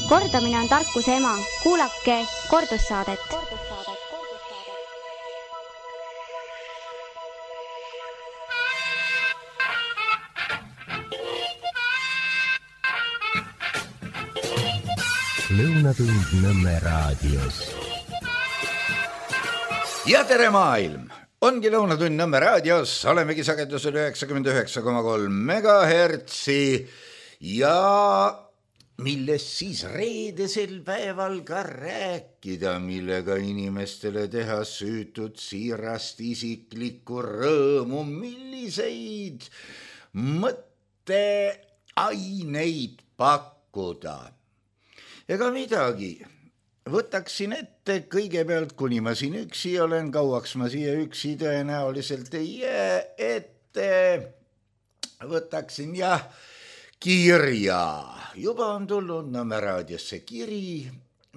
Kordamine on tarkuse ema. Kuulake kordussaadet. Lõunatund Nõmme raadios. Ja tere maailm! Ongi Lõunatund Nõmme raadios, olemegi sagedusel 99,3 megahertsi ja millest siis reedesel päeval ka rääkida, millega inimestele teha süütud siirast isiklikku rõõmu, milliseid mõtteaineid pakkuda. Ega midagi, võtaksin ette kõigepealt, kuni ma siin üksi olen, kauaks ma siia üksi tõenäoliselt ei jää, ette võtaksin kirja. Juba on tulnud Nõmme raadiosse kiri,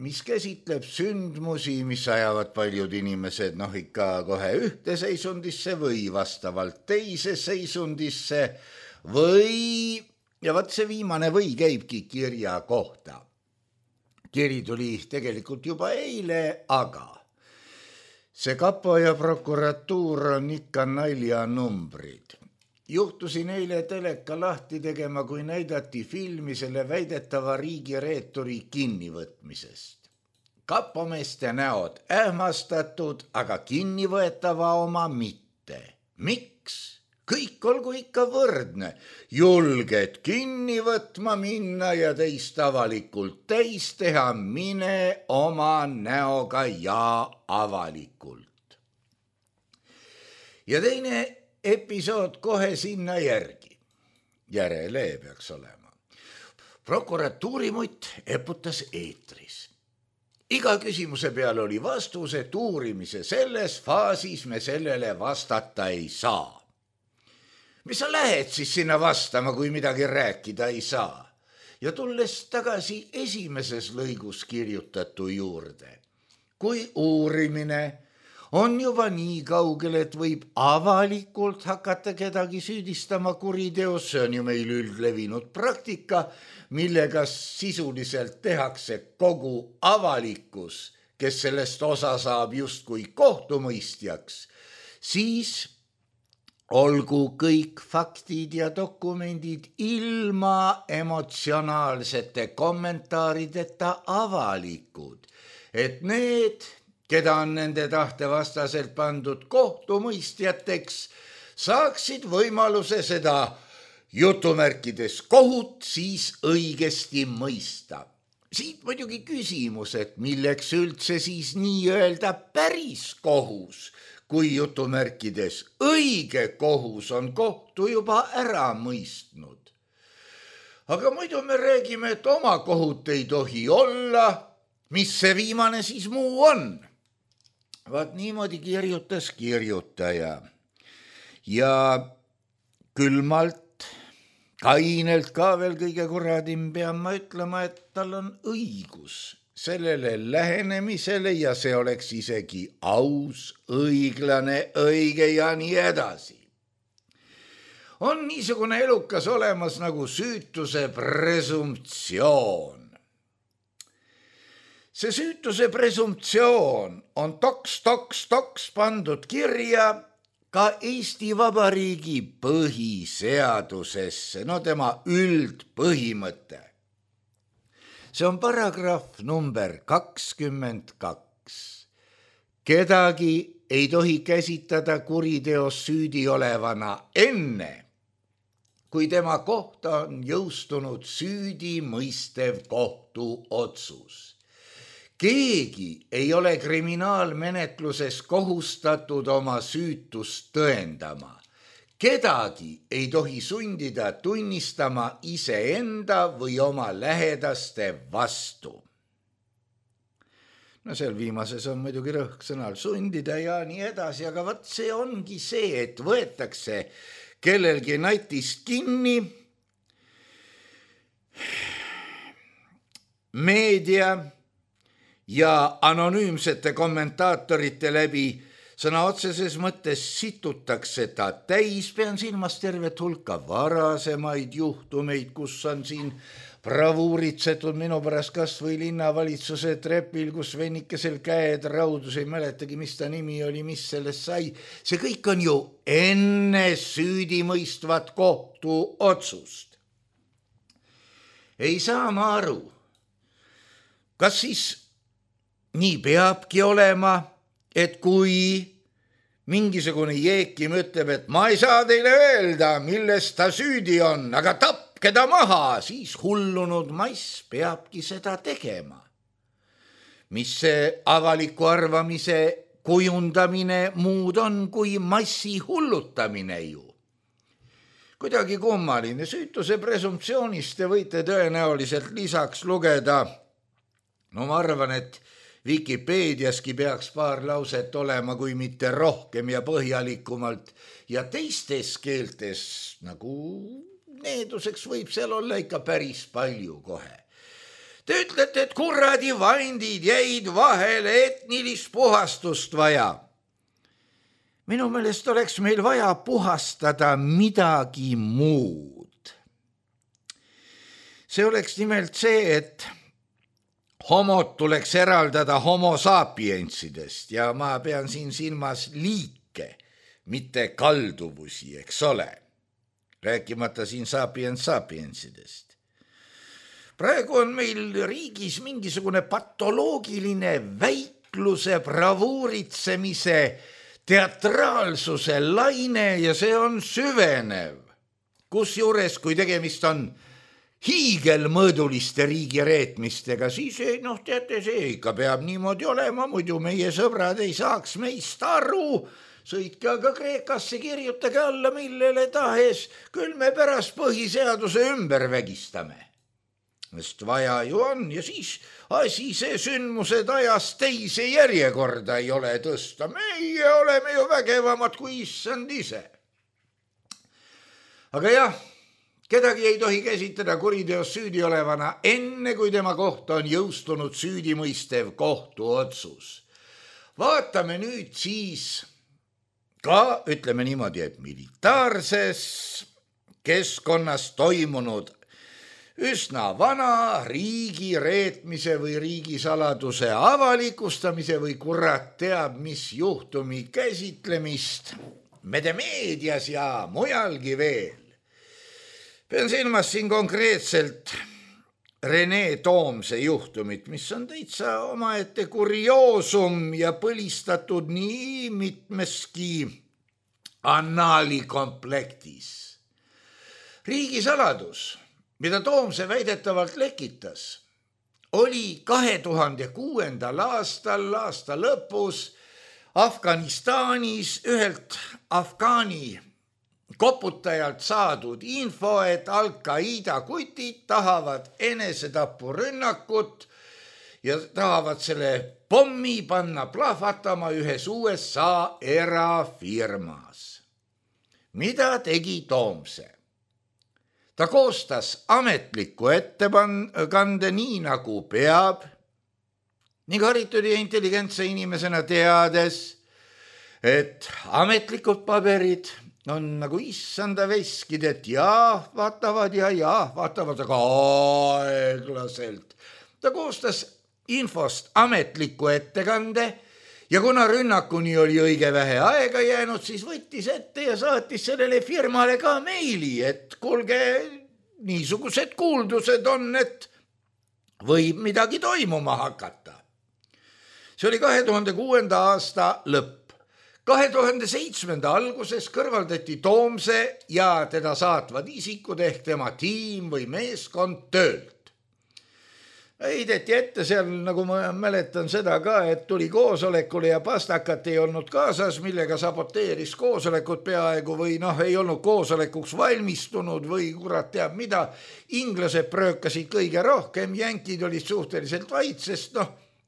mis käsitleb sündmusi, mis ajavad paljud inimesed ikka kohe ühte seisundisse või vastavalt teise seisundisse või, ja vaat see viimane või käibki kirja kohta. Kiri tuli tegelikult juba eile, aga see kapo ja prokuratuur on ikka naljanumbrid. Juhtusin eile teleka lahti tegema, kui näidati filmi selle väidetava riigireeturi kinnivõtmisest. Kapomeeste näod ähmastatud, aga kinnivõetava oma mitte. Miks? Kõik olgu ikka võrdne. Julged kinni võtma minna ja teist avalikult täis teha, mine oma näoga ja avalikult. Ja teine episood kohe sinna järgi. Järele peaks olema. Prokuratuuri mutt eputas eetris. Iga küsimuse peal oli vastus, et uurimise selles faasis me sellele vastata ei saa. Mis sa lähed siis sinna vastama, kui midagi rääkida ei saa? Ja tulles tagasi esimeses lõigus kirjutatu juurde. Kui uurimine on juba nii kaugel, et võib avalikult hakata kedagi süüdistama kuriteos, see on ju meil üldlevinud praktika, millega sisuliselt tehakse kogu avalikkus, kes sellest osa saab justkui kohtumõistjaks, siis olgu kõik faktid ja dokumendid ilma emotsionaalsete kommentaarideta avalikud, et need, keda on nende tahte vastaselt pandud kohtumõistjateks, saaksid võimaluse seda jutumärkides kohut siis õigesti mõista. Siit muidugi küsimus, et milleks üldse siis nii-öelda päris kohus, kui jutumärkides õige kohus on kohtu juba ära mõistnud. Aga muidu me räägime, et oma kohut ei tohi olla, mis see viimane siis muu on. Vaat niimoodi kirjutas kirjutaja. Ja külmalt, kainelt ka veel kõige kuradim pean ma ütlema, et tal on õigus sellele lähenemisele ja see oleks isegi aus, õiglane, õige ja nii edasi. On niisugune elukas olemas nagu süütuse presumptsioon. See süütuse presumptsioon on toks pandud kirja ka Eesti Vabariigi põhiseadusesse, tema üldpõhimõte. See on paragrahv number 22. Kedagi ei tohi käsitada kuriteos süüdi olevana enne, kui tema kohta on jõustunud süüdi mõistev kohtuotsus. Keegi ei ole kriminaalmenetluses kohustatud oma süütust tõendama. Kedagi ei tohi sundida tunnistama iseenda või oma lähedaste vastu. Seal viimases on muidugi rõhk sõnal sundida ja nii edasi, aga vaat see ongi see, et võetakse kellelgi natist kinni, meedia ja anonüümsete kommentaatorite läbi sõna otseses mõttes situtakse ta täis, pean silmas tervet hulka varasemaid juhtumeid, kus on siin bravuuritsetud minu pärast kas või linnavalitsuse trepil, kus vennikesel käed raudus, ei mäletagi, mis ta nimi oli, mis sellest sai. See kõik on ju enne süüdimõistvat kohtuotsust. Ei saa ma aru, kas siis nii peabki olema, et kui mingisugune jeekim ütleb, et ma ei saa teile öelda, milles ta süüdi on, aga tapke ta maha, siis hullunud mass peabki seda tegema. Mis see avaliku arvamise kujundamine muud on kui massi hullutamine ju. Kuidagi kummaline, süütuse presumptsioonist te võite tõenäoliselt lisaks lugeda. No ma arvan, et Vikipeediaski peaks paar lauset olema, kui mitte rohkem ja põhjalikumalt, ja teistes keeltes, nagu needuseks võib seal olla ikka päris palju kohe. Te ütlete, et kuradi vandid jäid vahele, etnilist puhastust vaja. Minu meelest oleks meil vaja puhastada midagi muud. See oleks nimelt see, et homod tuleks eraldada homo sapiensidest ja ma pean siin silmas liike, mitte kalduvusi, eks ole. Rääkimata siin sapiensidest. Praegu on meil riigis mingisugune patoloogiline väikluse, bravuuritsemise, teatraalsuse laine ja see on süvenev. Kusjuures, kui tegemist on hiigelmõõduliste riigireetmistega, siis teate, see ikka peab niimoodi olema, muidu meie sõbrad ei saaks meist aru. Sõitke aga Kreekasse, kirjutage alla millele tahes, küll me pärast põhiseaduse ümber vägistame. Sest vaja ju on ja siis asi see sündmused ajas teise järjekorda ei ole tõsta. Meie oleme ju vägevamad kui issand ise. Aga jah, kedagi ei tohi käsitleda kuriteos süüdi olevana enne, kui tema kohta on jõustunud süüdimõistev kohtuotsus. Vaatame nüüd siis ka, ütleme niimoodi, et militaarses keskkonnas toimunud üsna vana riigi reetmise või riigisaladuse avalikustamise või kurat teab mis juhtumi käsitlemist meedias ja mujalgi veel. Pean silmas siin konkreetselt Rene Toomse juhtumit, mis on täitsa omaette kurioosum ja põlistatud nii mitmeski annaali komplektis. Riigisaladus, mida Toomse väidetavalt lekitas, oli 2006. aasta lõpus Afganistanis ühelt afgaani koputajalt saadud info, et Al-Qaeda kutid tahavad enesetapurünnakut ja tahavad selle pommi panna plahvatama ühes USA erafirmas. Mida tegi Toomse? Ta koostas ametliku ettekande nii nagu peab ning haritud ja intelligentse inimesena teades, et ametlikud paberid on nagu issanda veskid, et vaatavad, aga aeglaselt. Ta koostas infost ametliku ettekande ja kuna rünnakuni oli õige vähe aega jäänud, siis võttis ette ja saatis sellele firmale ka meili, et kuulge, niisugused kuuldused on, et võib midagi toimuma hakata. See oli 2006. aasta lõpp. 2007. alguses kõrvaldati Toomse ja teda saatvad isikud ehk tema tiim või meeskond töölt. Heideti ette seal, nagu ma mäletan seda ka, et tuli koosolekule ja pastakat ei olnud kaasas, millega saboteeris koosolekut peaaegu või ei olnud koosolekuks valmistunud või kurat teab mida. Inglased pröökasid kõige rohkem, jänkid olid suhteliselt vait, sest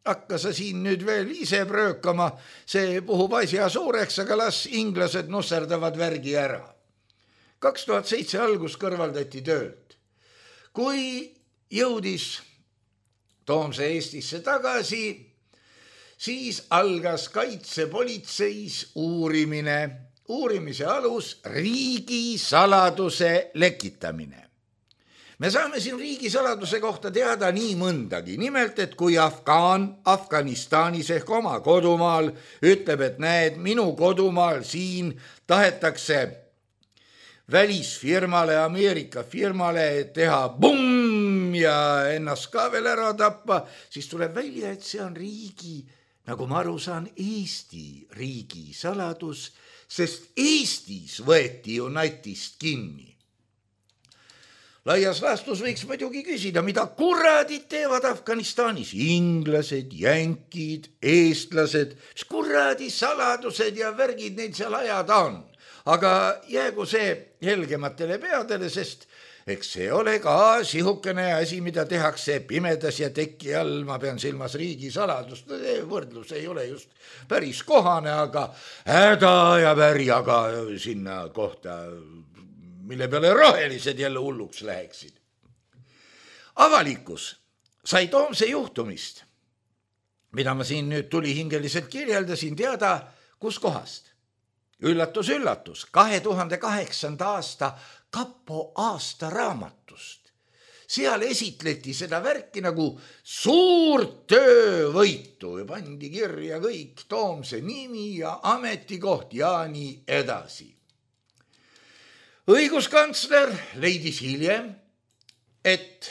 hakka sa siin nüüd veel ise pröökama, see puhub asja suureks, aga las inglased nusserdavad värgi ära. 2007 algus kõrvaldati töölt. Kui jõudis Toomse Eestisse tagasi, siis algas kaitsepolitseis uurimine. Uurimise alus riigisaladuse lekitamine. Me saame siin riigisaladuse kohta teada nii mõndagi. Nimelt, et kui Afganistanis ehk oma kodumaal ütleb, et näed, minu kodumaal siin tahetakse välisfirmale, Ameerika firmale teha bumm ja ennast ka veel ära tappa, siis tuleb välja, et see on riigi, nagu ma aru saan, Eesti riigisaladus, sest Eestis võeti ju natist kinni. Laias laastus võiks muidugi küsida, mida kurradid teevad Afganistanis? Inglased, jänkid, eestlased, mis kurradi saladused ja värgid neil seal ajada on. Aga jäägu see helgematele peadele, sest eks see ole ka sihukene asi, mida tehakse pimedas ja teki all, ma pean silmas riigisaladust. Võrdlus ei ole just päris kohane, aga häda ja värjaga sinna kohta, mille peale rohelised jälle hulluks läheksid. Avalikkus sai Toomse juhtumist, mida ma siin nüüd tulihingeliselt kirjeldasin, teada kus kohast. Üllatus, üllatus, 2008. aasta Kapo aastaraamatust. Seal esitleti seda värki nagu suurt töövõitu ja pandi kirja kõik Toomse nimi ja ametikoht ja nii edasi. Õiguskantsler leidis hiljem, et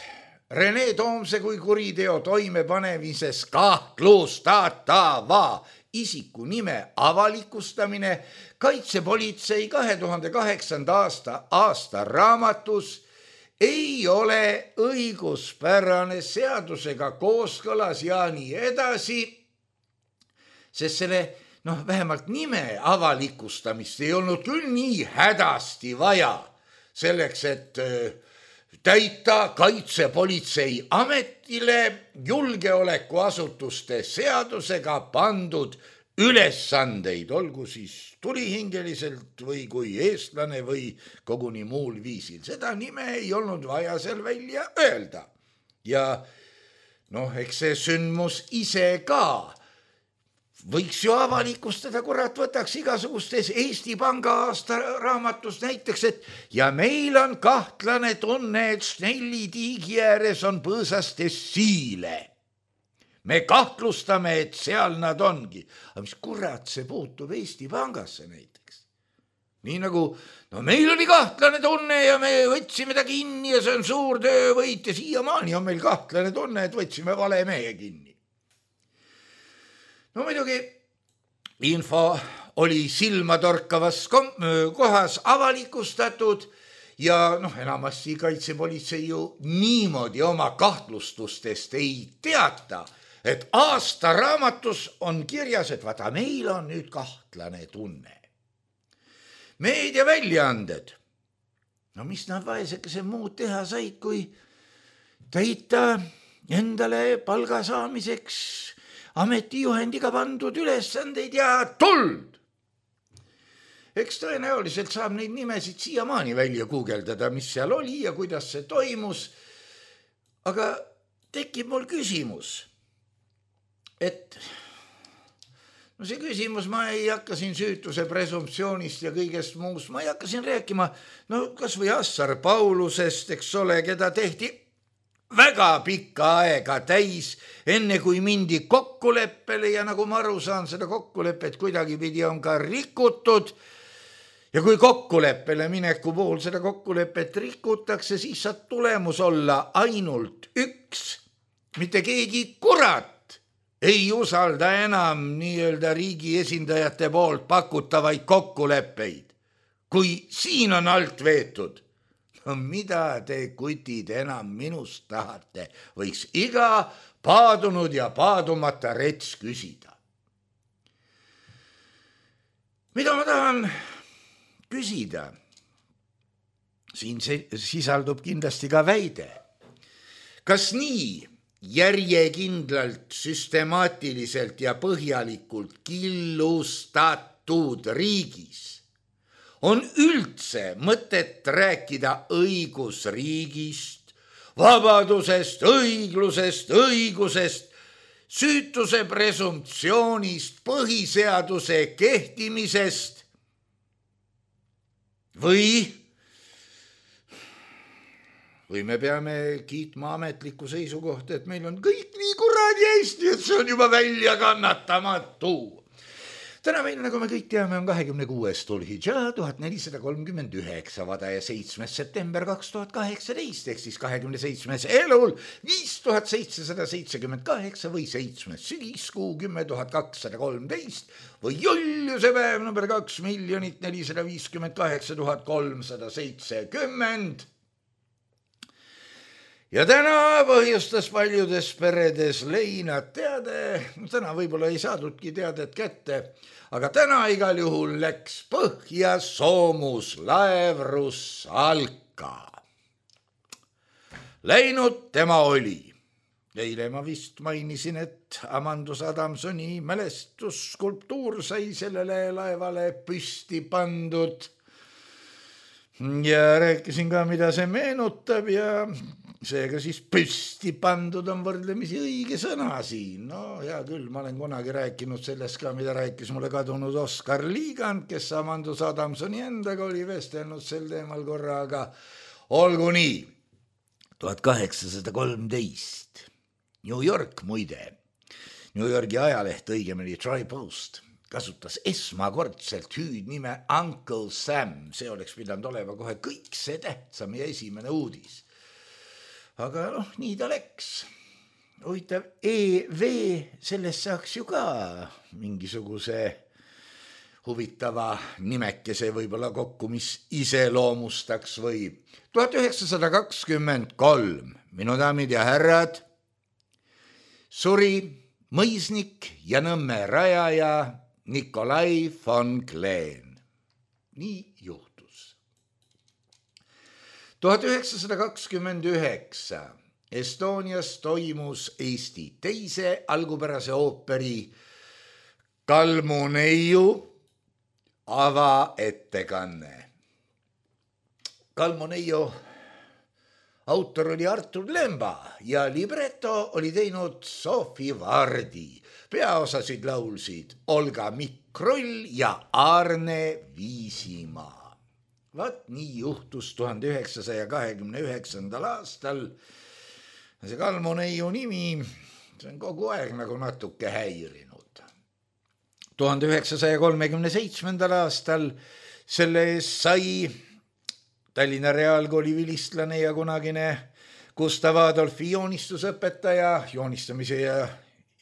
Rene Toomse kui kuriteo toimepanemises kahtlustatava isiku nime avalikustamine kaitsepolitsei 2008. aasta raamatus ei ole õiguspärane, seadusega kooskõlas ja nii edasi, sest selle vähemalt nime avalikustamist ei olnud küll nii hädasti vaja selleks, et täita kaitsepolitsei ametile julgeolekuasutuste seadusega pandud ülesandeid, olgu siis tulihingeliselt või kui eestlane või koguni muul viisil. Seda nime ei olnud vaja seal välja öelda. Ja eks see sündmus ise ka võiks ju avalikustada, kurat, võtaks igasugustes Eesti Panga aastaraamatus näiteks, et ja meil on kahtlane tunne, et Snelli tiigi ääres on põõsastes siile. Me kahtlustame, et seal nad ongi. Aga mis kurat see puutub Eesti Pangasse näiteks? Nii nagu, meil oli kahtlane tunne ja me võtsime ta kinni ja see on suur töövõit ja siiamaani on meil kahtlane tunne, et võtsime vale mehe kinni. Muidugi info oli silmatorkavas kohas avalikustatud ja enamasti kaitsepolitsei ju niimoodi oma kahtlustustest ei teata, et aastaraamatus on kirjas, et vaata, meil on nüüd kahtlane tunne. Meediaväljaanded, mis nad vaesekese muud teha said, kui täita endale palga saamiseks ametijuhendiga pandud ülesandeid ja tuld. Eks tõenäoliselt saab neid nimesid siiamaani välja guugeldada, mis seal oli ja kuidas see toimus. Aga tekib mul küsimus, et see küsimus, ma ei hakka siin süütuse presumptsioonist ja kõigest muust, ma ei hakka siin rääkima, kas või Assar Paulusest, eks ole, keda tehti väga pikka aega täis, enne kui mindi kokkuleppele ja nagu ma aru saan, seda kokkulepet kuidagi pidi on ka rikutud. Ja kui kokkuleppele mineku puhul seda kokkulepet rikutakse, siis saab tulemus olla ainult üks. Mitte keegi kurat ei usalda enam nii-öelda riigi esindajate poolt pakutavaid kokkuleppeid. Kui siin on alt veetud, mida te kutid enam minust tahate, võiks iga paadunud ja paadumata rets küsida. Mida ma tahan küsida? Siin sisaldub kindlasti ka väide. Kas nii järjekindlalt, süstemaatiliselt ja põhjalikult killustatud riigis on üldse mõtet rääkida õigusriigist, vabadusest, õiglusest, õigusest, süütuse presumptsioonist, põhiseaduse kehtimisest või me peame kiitma ametlikku seisukohta, et meil on kõik nii kuradi hästi, et see on juba välja kannatamatu. Täna meil, nagu me kõik teame, on 26. Dhul-Hidžaa 1439 vada ja 7. september 2018 ehk siis 27. elul 5778 või 7. sügiskuu 10.213 või Juliuse päev number 2,458,370. Ja täna põhjustas paljudes peredes leinad teade, täna võib-olla ei saadudki teadet kätte, aga täna igal juhul läks põhja soomuslaev Russalka. Läinud tema oli. Eile ma vist mainisin, et Amandus Adamsoni mälestusskulptuur sai sellele laevale püsti pandud. Ja rääkisin ka, mida see meenutab ja seega siis püsti pandud on võrdlemisi õige sõna siin. No hea küll, ma olen kunagi rääkinud sellest ka, mida rääkis mulle kadunud Oskar Liigand, kes Amandus Adamsoni endaga oli vestelnud sel teemal korra, aga olgu nii. 1813. New York muide. New Yorgi ajaleht, õigemini Tri Post, kasutas esmakordselt hüüdnime Uncle Sam. See oleks pidanud olema kohe kõik see tähtsam ja esimene uudis. Aga nii ta läks. Huvitav, EV, sellest saaks ju ka mingisuguse huvitava nimekese võib-olla kokku, mis iseloomustaks või. 1923, minu daamid ja härrad, suri mõisnik ja Nõmme rajaja Nikolai von Kleen. Nii juhtus. 1929 Estonias toimus Eesti teise algupärase ooperi Kalmuneiu avaettekanne. Kalmuneiu autor oli Artur Lemba ja libretto oli teinud Sofi Vardi. Peaosasid laulsid Olga Mikrull ja Arne Viisimaa. Vaat nii juhtus 1929. aastal. See Kalmuneiu nimi, see on kogu aeg nagu natuke häirinud. 1937. aastal selle eest sai Tallinna Reaalkooli vilistlane ja kunagine Gustav Adolfi joonistusõpetaja, joonistamise ja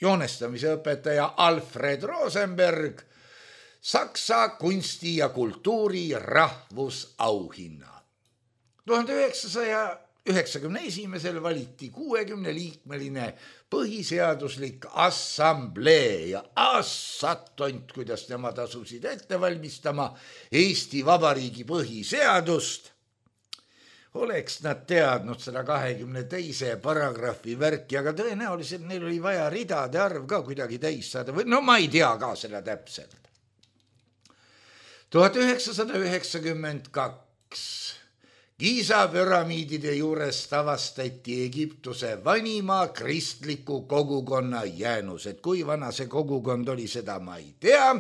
joonestamise õpetaja Alfred Rosenberg Saksa kunsti ja kultuuri rahvusauhinna. 1991. valiti 60-liikmeline põhiseaduslik assamblee ja assatont, kuidas nemad asusid ette valmistama Eesti Vabariigi põhiseadust. Oleks nad teadnud seda 22. paragrahvi värki, aga tõenäoliselt neil oli vaja ridade arv ka kuidagi täis saada või no ma ei tea ka seda täpselt. 1992 Giza püramiidide juures avastati Egiptuse vanima kristliku kogukonna jäänused. Kui vana see kogukond oli, seda ma ei tea.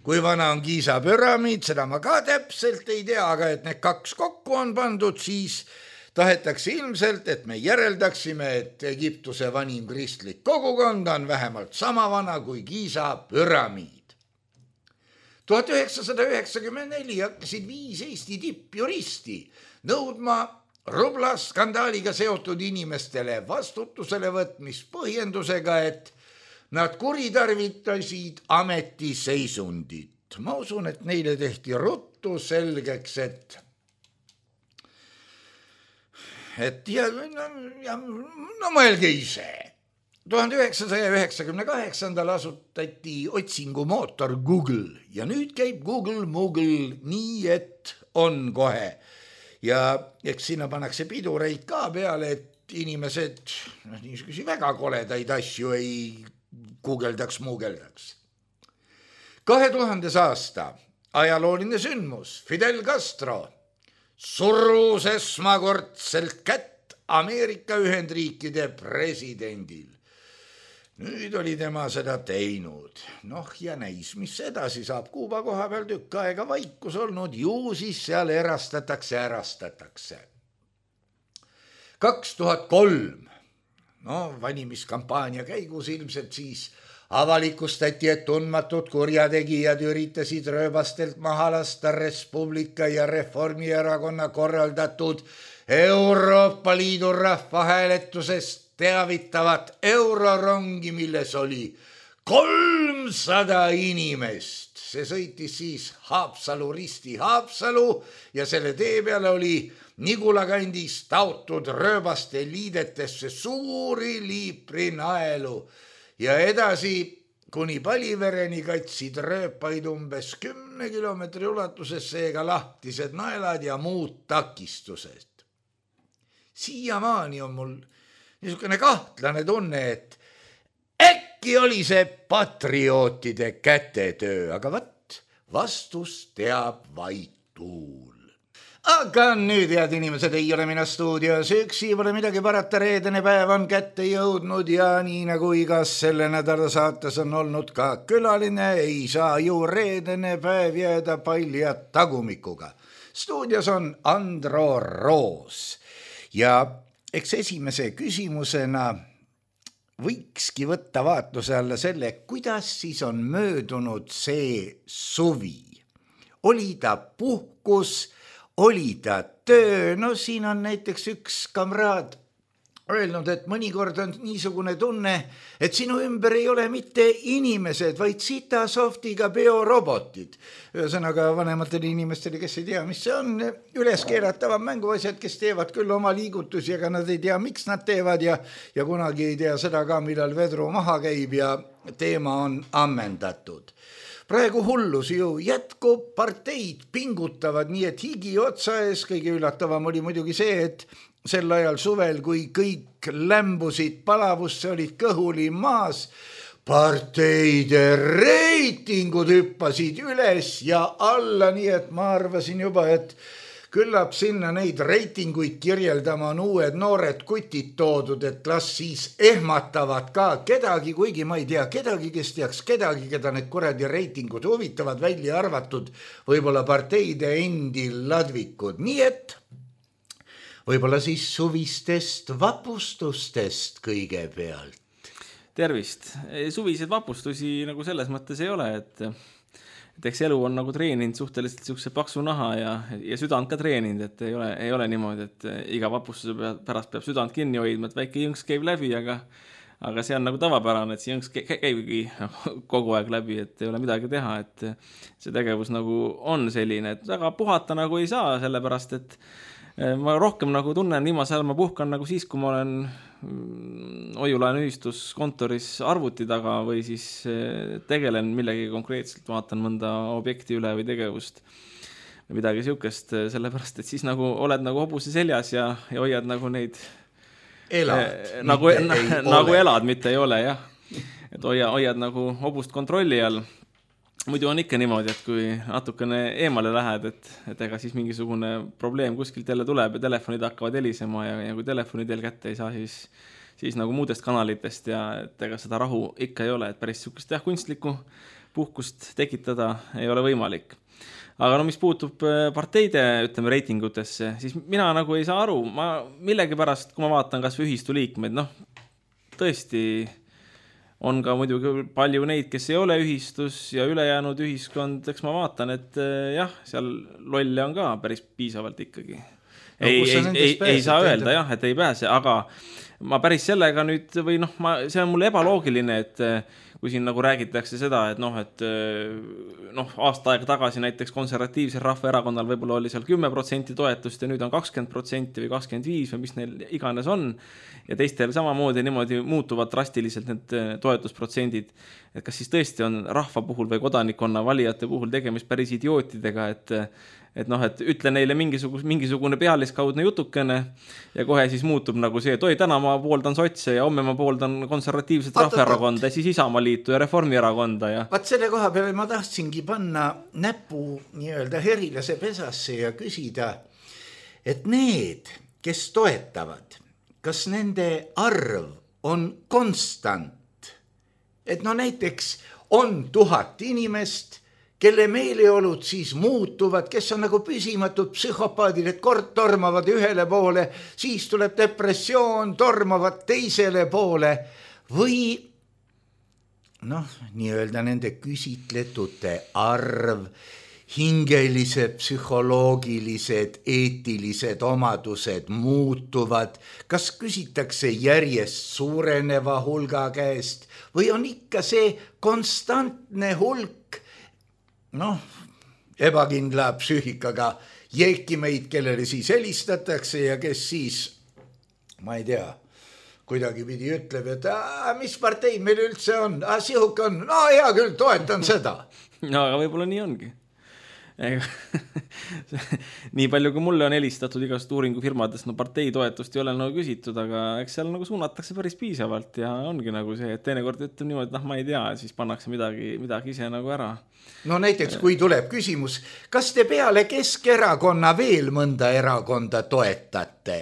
Kui vana on Giza püramiid, seda ma ka täpselt ei tea, aga et need kaks kokku on pandud, siis tahetakse ilmselt, et me järeldaksime, et Egiptuse vanim kristlik kogukond on vähemalt sama vana kui Giza püramiid. 1994 hakkasid 5 Eesti tippjuristi nõudma Rubla skandaaliga seotud inimestele vastutusele võtmist põhjendusega, et nad kuritarvitasid ametiseisundit. Ma usun, et neile tehti ruttu selgeks, et no mõelge ise. 1998. asutati otsingumootor Google ja nüüd käib Google nii, et on kohe. Ja eks sinna pannakse pidureid ka peale, et inimesed niisugusi väga koledaid asju ei guugeldaks. 2000. aasta ajalooline sündmus Fidel Castro surus esmakordselt kätt Ameerika Ühendriikide presidendil. Nüüd oli tema seda teinud. Noh ja näis, mis edasi saab. Kuuba koha peal tükk aega vaikus olnud, ju siis seal erastatakse. 2003, no valimiskampaania käigus ilmselt siis avalikustati, et tundmatud kurjategijad üritasid rööbastelt maha lasta Res Publica ja Reformierakonna korraldatud Euroopa Liidu rahvahääletusest teavitavat eurorongi, milles oli 300 inimest. See sõitis siis Haapsalu-Risti Haapsalu ja selle tee peale oli Nigula kandis taotud rööbaste liidetesse suuri liiprinaelu ja edasi kuni Palivereni katsid rööpaid umbes 10 kilomeetri ulatuses, seega lahtised naelad ja muud takistused. Siiamaani on mul niisugune kahtlane tunne, et äkki oli see patriootide kätetöö, aga vastus teab vaid tuul. Aga nüüd, head inimesed, ei ole mina stuudios üksi, pole midagi parata, reedene päev on kätte jõudnud ja nii nagu igas selle nädala saates on olnud ka külaline, ei saa ju reedene päev jääda palja tagumikuga. Stuudios on Andro Roos ja eks esimese küsimusena võikski võtta vaatluse alla selle, kuidas siis on möödunud see suvi. Oli ta puhkus, oli ta töö, no siin on näiteks üks kamraad öelnud, et mõnikord on niisugune tunne, et sinu ümber ei ole mitte inimesed, vaid sitasoftiga biorobotid. Ühesõnaga vanematel inimestel, kes ei tea, mis see on, üles keeratavad mänguasjad, kes teevad küll oma liigutusi, aga nad ei tea, miks nad teevad ja kunagi ei tea seda ka, millal vedru maha käib ja teema on ammendatud. Praegu hullus ju jätkub, parteid pingutavad nii, et higi otsa ees. Kõige üllatavam oli muidugi see, et sel ajal suvel, kui kõik lämbusid palavusse, olid kõhuli maas, parteide reitingud hüppasid üles ja alla, nii et ma arvasin juba, et küllap sinna neid reitinguid kirjeldama on uued noored kutid toodud, et las siis ehmatavad ka kedagi, kuigi ma ei tea kedagi, kes teaks kedagi, keda need kuradi reitingud huvitavad, välja arvatud võib-olla parteide endi ladvikud. Nii et võib-olla siis suvistest vapustustest kõigepealt. Tervist. Suviseid vapustusi nagu selles mõttes ei ole, et eks elu on nagu treeninud suhteliselt siukse paksu naha ja südant ka treeninud, et ei ole niimoodi, et iga vapustuse pärast peab südant kinni hoidma, et väike jõnks käib läbi, aga see on nagu tavapärane, et see jõnks käibki kogu aeg läbi, et ei ole midagi teha, et see tegevus nagu on selline, et väga puhata nagu ei saa, sellepärast, et ma rohkem nagu tunnen viimase ajal, ma puhkan nagu siis, kui ma olen hoiulaenuühistus kontoris arvuti taga või siis tegelen millegi konkreetselt, vaatan mõnda objekti üle või tegevust või midagi siukest, sellepärast, et siis nagu oled nagu hobuse seljas ja hoiad nagu neid nagu elad, mitte ei ole, jah. Et hoiad nagu hobust kontrolli all. Muidu on ikka niimoodi, et kui natukene eemale lähed, et ega siis mingisugune probleem kuskilt jälle tuleb ja telefonid hakkavad helisema ja kui telefoni teel kätte ei saa, siis nagu muudest kanalitest ja et ega seda rahu ikka ei ole, et päris sihukest kunstlikku puhkust tekitada ei ole võimalik. Aga no mis puutub parteide, ütleme, reitingutesse, siis mina nagu ei saa aru, ma millegi pärast, kui ma vaatan kas või ühistu liikmeid, noh, tõesti on ka muidugi palju neid, kes ei ole ühistus ja ülejäänud ühiskond, eks ma vaatan, et jah, seal lolle on ka päris piisavalt ikkagi. Ei saa öelda, jah, et ei pääse, aga ma päris sellega nüüd, või noh, see on mul ebaloogiline, et kui siin nagu räägitakse seda, et aasta aega tagasi näiteks konservatiivsel rahvaerakonnal võib-olla oli seal 10% toetust ja nüüd on 20% või 25% või mis neil iganes on ja teistel samamoodi niimoodi muutuvad drastiliselt need toetusprotsendid. Et kas siis tõesti on rahva puhul või kodanikkonna valijate puhul tegemist päris idiootidega, et ütle neile mingisugune pealiskaudne jutukene ja kohe siis muutub nagu see, et oi, täna ma pooldan sotse ja homme ma pooldan konservatiivset rahvaerakonda ja siis Isamaaliitu ja Reformierakonda. Ja vaat selle koha peale ma tahtsingi panna näpu nii-öelda herilase pesasse ja küsida, et need, kes toetavad, kas nende arv on konstant et no näiteks on 1000 inimest, kelle meeleolud siis muutuvad, kes on nagu püsimatud psühhopaadid, et kord tormavad ühele poole, siis tuleb depressioon, tormavad teisele poole või noh, nii-öelda nende küsitletute arv, hingelised, psühholoogilised, eetilised omadused muutuvad, kas küsitakse järjest suureneva hulga käest või on ikka see konstantne hulk, noh, ebakindla psüühikaga jeekimeid, kellele siis helistatakse ja kes siis, ma ei tea, kuidagi pidi ütleb, et mis partei meil üldse on, sihuke on, no hea küll, toetan seda. No aga võib-olla nii ongi. Nii palju kui mulle on helistatud igast uuringufirmadest, no partei toetust ei ole nagu küsitud, aga eks seal nagu suunatakse päris piisavalt ja ongi nagu see, et teinekord ütleb niimoodi, et ma ei tea, siis pannakse midagi ise nagu ära. No näiteks, kui tuleb küsimus, kas te peale Keskerakonna veel mõnda erakonda toetate?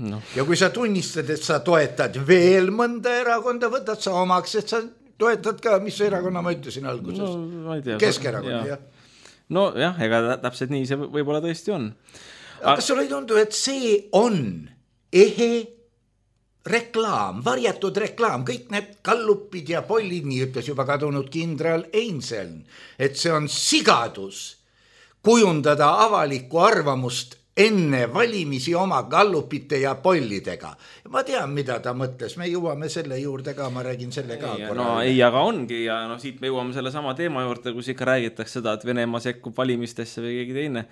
No. Ja kui sa tunnistad, et sa toetad veel mõnda erakonda, võtad sa omaks, et sa toetad ka, mis erakonna ma ütlesin alguses? No, ma ei tea. Keskerakonna, jah. No jah, ega täpselt nii see võib-olla tõesti on. Aga kas sulle ei tundu, et see on ehe reklaam, varjatud reklaam, kõik need kallupid ja pollid, nii ütles juba kadunud kindral Einseln, et see on sigadus kujundada avalikku arvamust enne valimisi oma kallupite ja pollidega. Ma tean, mida ta mõtles, me jõuame selle juurde ka, ma räägin selle ka. No ei, aga ongi ja no siit me jõuame selle sama teema juurde, kus ikka räägitakse seda, et Venemaa sekkub valimistesse või keegi teine.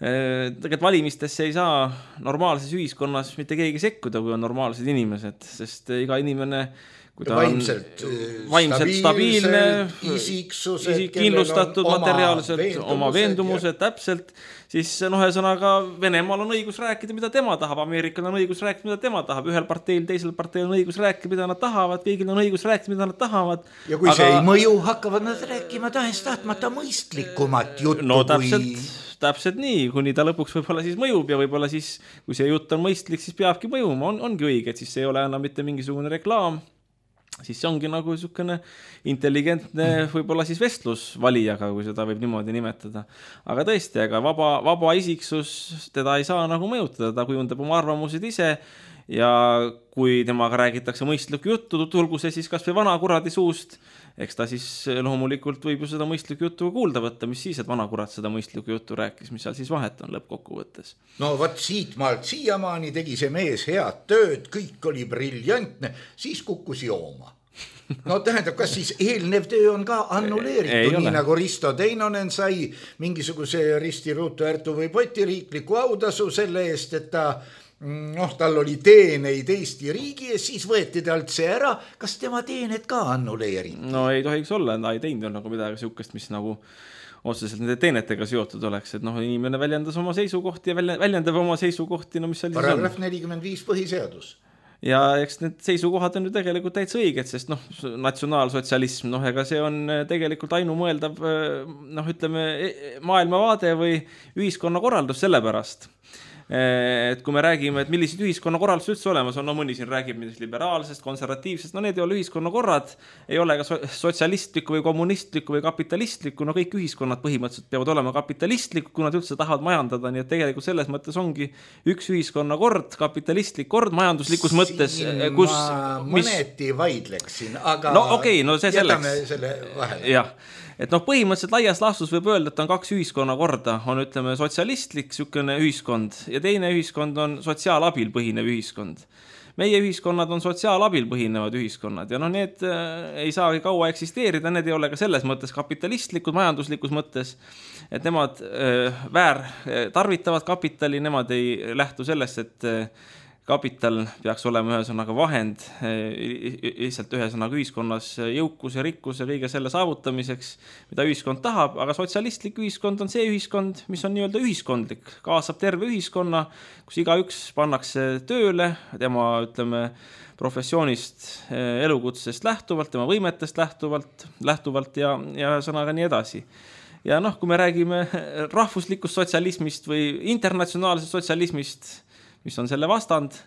Tegelikult valimistesse ei saa normaalses ühiskonnas mitte keegi sekkuda, kui on normaalsed inimesed, sest iga inimene kui ta vaimselt stabiilne, kindlustatud materiaalselt, oma veendumused täpselt, siis ühesõnaga Venemaal on õigus rääkida, mida tema tahab, Ameerikal on õigus rääkida, mida tema tahab, ühel parteil, teisel parteil on õigus rääkida, mida nad tahavad, kõigil on õigus rääkida, mida nad tahavad. Ja kui see ei mõju, hakkavad nad rääkima tahes tahtmata mõistlikumat juttu. No täpselt nii, kuni ta lõpuks võib-olla siis mõjub ja võib-olla siis, kui see jutt on mõistlik, siis peabki mõjuma, ongi õige, et siis see ei ole enam mitte mingisugune reklaam, siis see ongi nagu niisugune intelligentne võib-olla siis vestlus valijaga, kui seda võib niimoodi nimetada. Aga tõesti, aga vaba isiksus, teda ei saa nagu mõjutada, ta kujundab oma arvamused ise ja kui temaga räägitakse mõistlikku juttu, tulgu see siis kas või vana kuradi suust, eks ta siis loomulikult võib ju seda mõistlikku juttu kuulda võtta, mis siis, et vana kurat seda mõistlikku juttu rääkis, mis seal siis vahet on lõppkokkuvõttes. No võt siit maalt siiamaani tegi see mees head tööd, kõik oli briljantne, siis kukkus jooma. No tähendab, kas siis eelnev töö on ka annuleeritud, nii nagu Risto Teinonen sai mingisuguse Risti Ruutu Ärtu või Poti riikliku autasu selle eest, et tal oli teeneid Eesti riigi ja siis võeti talt see ära. Kas tema teened ka annuleeriti? No ei tohiks olla, ta ei teinud nagu midagi sihukest, mis nagu otseselt nende teenetega seotud oleks, et inimene väljendas oma seisukohti ja väljendab oma seisukohti, mis seal paragrahv 45 põhiseadus. Ja eks need seisukohad on ju tegelikult täitsa õiged, sest natsionaalsotsialism, ega see on tegelikult ainumõeldav, ütleme, maailmavaade või ühiskonnakorraldus sellepärast. Et kui me räägime, et millised ühiskonnakorraldus üldse olemas on, mõni siin räägib midagi liberaalsest, konservatiivsest, need ei ole ühiskonnakorrad, ei ole ka sotsialistlikku või kommunistlikku või kapitalistlikku, kõik ühiskonnad põhimõtteliselt peavad olema kapitalistlikku, kui nad üldse tahavad majandada, nii et tegelikult selles mõttes ongi üks ühiskonnakord, kapitalistlik kord majanduslikus mõttes, kus mõneti vaidleksin, aga see jätame selle vahele. Jah. Et põhimõtteliselt laias laastus võib öelda, et on kaks ühiskonnakorda, on ütleme sotsialistlik sükene ühiskond ja teine ühiskond on sotsiaalabil põhinev ühiskond. Meie ühiskonnad on sotsiaalabil põhinevad ühiskonnad ja need ei saagi kaua eksisteerida, need ei ole ka selles mõttes kapitalistlikud, majanduslikus mõttes, et nemad tarvitavad kapitali, nemad ei lähtu sellest, et kapital peaks olema ühesõnaga vahend lihtsalt ühesõnaga ühiskonnas jõukus ja rikkus ja kõige selle saavutamiseks, mida ühiskond tahab, aga sotsialistlik ühiskond on see ühiskond, mis on nii-öelda ühiskondlik, kaasab terve ühiskonna, kus igaüks pannakse tööle, tema ütleme professioonist, elukutsest lähtuvalt, tema võimetest lähtuvalt ja ühesõnaga nii edasi. Ja kui me räägime rahvuslikust sotsialismist või internatsionaalsest sotsialismist, mis on selle vastand,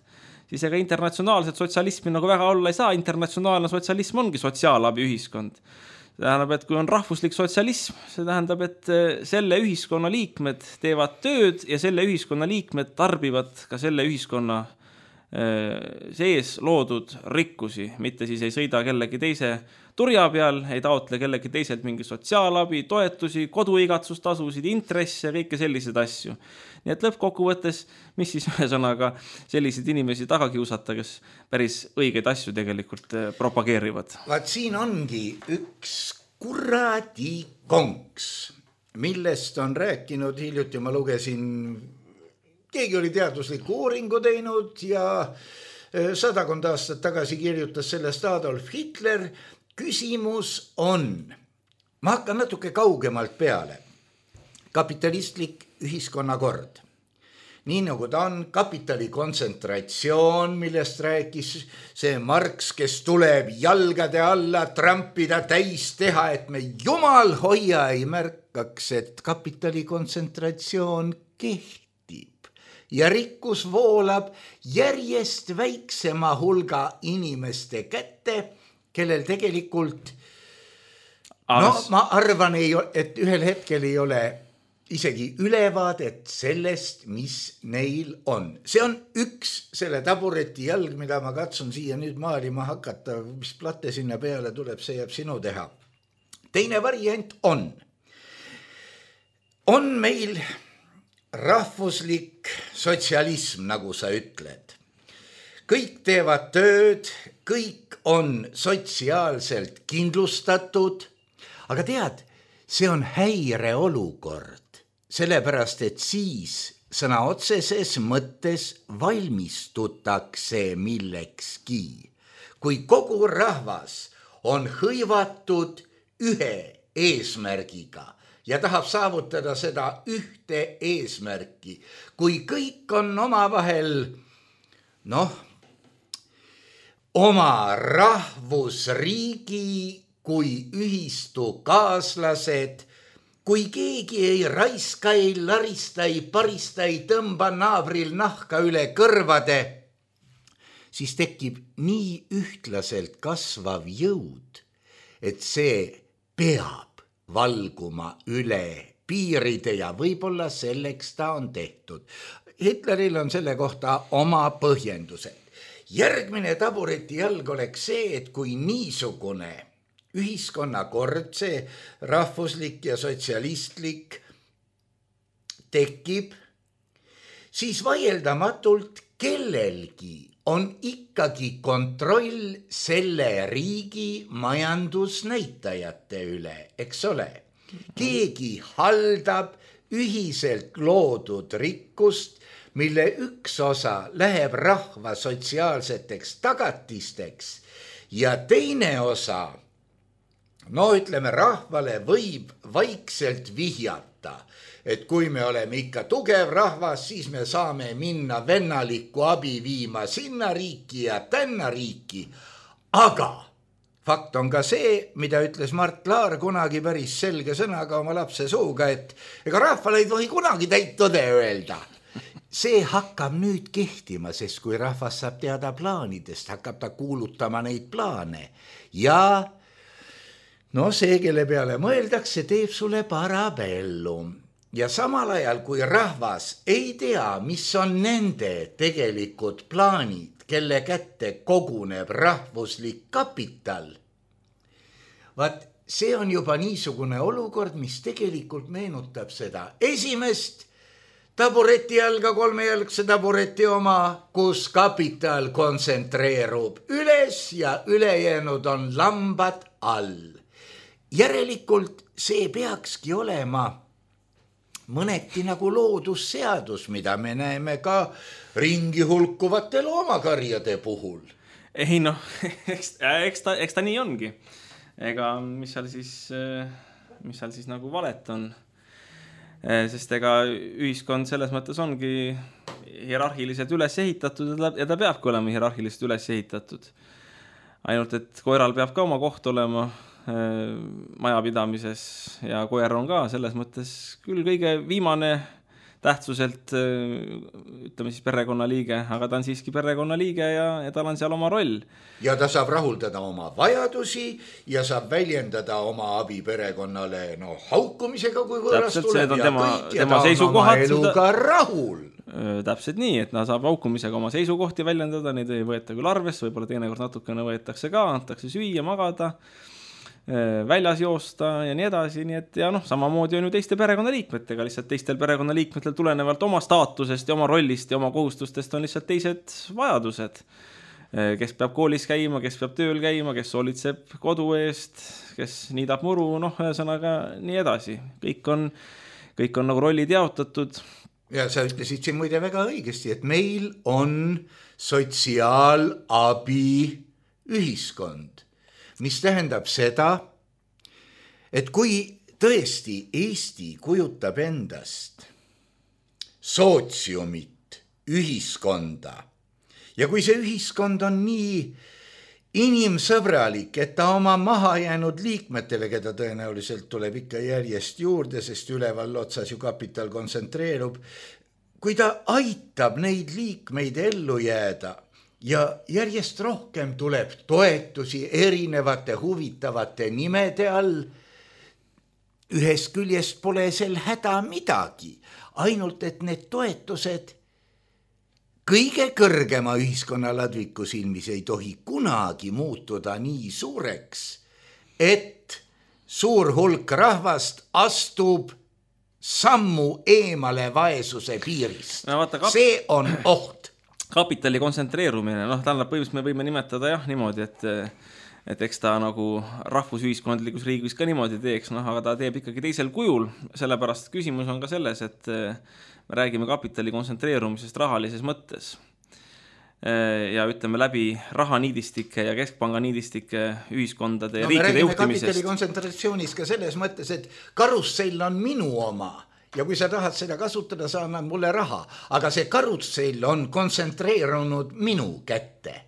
siis ega internatsionaalset sotsialismi nagu väga olla ei saa. Internatsionaalne sotsialism ongi sotsiaalabi ühiskond. See tähendab, et kui on rahvuslik sotsialism, see tähendab, et selle ühiskonna liikmed teevad tööd ja selle ühiskonna liikmed tarbivad ka selle ühiskonna sees loodud rikkusi, mitte siis ei sõida kellegi teise turja peal, ei taotle kellegi teiselt mingi sotsiaalabi, toetusi, koduigatsustasusid, intresse, kõike selliseid asju. Nii et lõppkokkuvõttes, mis siis ühesõnaga selliseid inimesi taga kiusata, kes päris õigeid asju tegelikult propageerivad. Vaat siin ongi üks kuradi konks, millest on rääkinud hiljuti, ma lugesin, keegi oli teadusliku uuringu teinud ja 100 aastat tagasi kirjutas sellest Adolf Hitler. Küsimus on, ma hakkan natuke kaugemalt peale, kapitalistlik ühiskonnakord. Nii nagu ta on, kapitali kontsentratsioon, millest rääkis see Marx, kes tuleb jalgade alla trampida täis teha, et me jumal hoia ei märkaks, et kapitali kontsentratsioon kehtib. Ja rikkus voolab järjest väiksema hulga inimeste kätte, kellel tegelikult, ma arvan, et ühel hetkel ei ole isegi ülevaadet sellest, mis neil on. See on üks selle tabureti jalg, mida ma katsun siia nüüd maalima hakata, mis platte sinna peale tuleb, see jääb sinu teha. Teine variant on meil rahvuslik sotsialism, nagu sa ütled. Kõik teevad tööd, kõik on sotsiaalselt kindlustatud, aga tead, see on häireolukord, sellepärast et siis sõna otseses mõttes valmistutakse millekski. Kui kogu rahvas on hõivatud ühe eesmärgiga, ja tahab saavutada seda ühte eesmärki. Kui kõik on omavahel, oma rahvusriigi kui ühistu kaaslased, kui keegi ei raiska, ei larista, ei parista, ei tõmba naabril nahka üle kõrvade, siis tekib nii ühtlaselt kasvav jõud, et see peab valguma üle piiride ja võib-olla selleks ta on tehtud. Hitleril on selle kohta oma põhjendused. Järgmine tabureti jalg oleks see, et kui niisugune ühiskonnakord, see rahvuslik ja sotsialistlik tekib, siis vaieldamatult kellelgi on ikkagi kontroll selle riigi majandusnäitajate üle, eks ole. Keegi haldab ühiselt loodud rikkust, mille üks osa läheb rahva sotsiaalseteks tagatisteks ja teine osa, ütleme, rahvale võib vaikselt vihjata, et kui me oleme ikka tugev rahvas, siis me saame minna vennalikku abi viima sinna riiki ja tänna riiki. Aga fakt on ka see, mida ütles Mart Laar kunagi päris selge sõnaga oma lapse suuga, et ega rahvale ei tohi kunagi täit tõde öelda. See hakkab nüüd kehtima, sest kui rahvas saab teada plaanidest, hakkab ta kuulutama neid plaane. Ja see, kelle peale mõeldakse, teeb sulle parabellum. Ja samal ajal, kui rahvas ei tea, mis on nende tegelikud plaanid, kelle kätte koguneb rahvuslik kapital, vaat see on juba niisugune olukord, mis tegelikult meenutab seda esimest tabureti jalga, kolmejälgse tabureti oma, kus kapital kontsentreerub üles ja ülejäänud on lambad all. Järelikult see peakski olema mõneti nagu loodusseadus, mida me näeme ka ringi hulkuvate loomakarjade puhul. Ei eks ta nii ongi. Ega mis seal siis nagu valet on. Sest ega ühiskond selles mõttes ongi hierarhiliselt üles ehitatud ja ta peabki olema hierarhiliselt üles ehitatud. Ainult, et koeral peab ka oma koht olema majapidamises ja koer on ka selles mõttes küll kõige viimane tähtsuselt, ütleme siis perekonnaliige, aga ta on siiski perekonnaliige ja tal on seal oma roll. Ja ta saab rahuldada oma vajadusi ja saab väljendada oma abi perekonnale haukumisega, kui võõras tuleb ja kõik, ja ta on oma eluga rahul. Täpselt nii, et ta saab haukumisega oma seisukohti väljendada, neid ei võeta küll arvesse, võib-olla teinekord natukene võetakse ka, antakse süüa, magada, väljas joosta ja nii edasi, nii et ja samamoodi on ju teiste perekonnaliikmetega, lihtsalt teistel perekonnaliikmetel tulenevalt oma staatusest ja oma rollist ja oma kohustustest on lihtsalt teised vajadused. Kes peab koolis käima, kes peab tööl käima, kes hoolitseb kodu eest, kes niidab muru, ühesõnaga nii edasi. Kõik on nagu rollid jaotatud. Ja sa ütlesid siin muide väga õigesti, et meil on sotsiaalabi ühiskond, mis tähendab seda, et kui tõesti Eesti kujutab endast sootsiumit, ühiskonda, ja kui see ühiskond on nii inimsõbralik, et ta oma mahajäänud liikmetele, keda tõenäoliselt tuleb ikka järjest juurde, sest üleval otsas ju kapital kontsentreerub, kui ta aitab neid liikmeid ellu jääda ja järjest rohkem tuleb toetusi erinevate huvitavate nimede all, ühest küljest pole sel häda midagi, ainult et need toetused kõige kõrgema ühiskonna ladviku silmis ei tohi kunagi muutuda nii suureks, et suur hulk rahvast astub sammu eemale vaesuse piirist. See on oht. Kapitali kontsentreerumine, tähendab põhimõtteliselt me võime nimetada niimoodi, et eks ta nagu rahvusühiskondlikus riigis ka niimoodi teeks, aga ta teeb ikkagi teisel kujul, sellepärast küsimus on ka selles, et me räägime kapitali kontsentreerumisest rahalises mõttes ja ütleme läbi rahaniidistike ja keskpanga niidistike ühiskondade ja riikide juhtimisest. Me räägime kapitali kontsentratsioonis ka selles mõttes, et karussell on minu oma ja kui sa tahad seda kasutada, sa annad mulle raha, aga see karussell on kontsentreerunud minu kätte.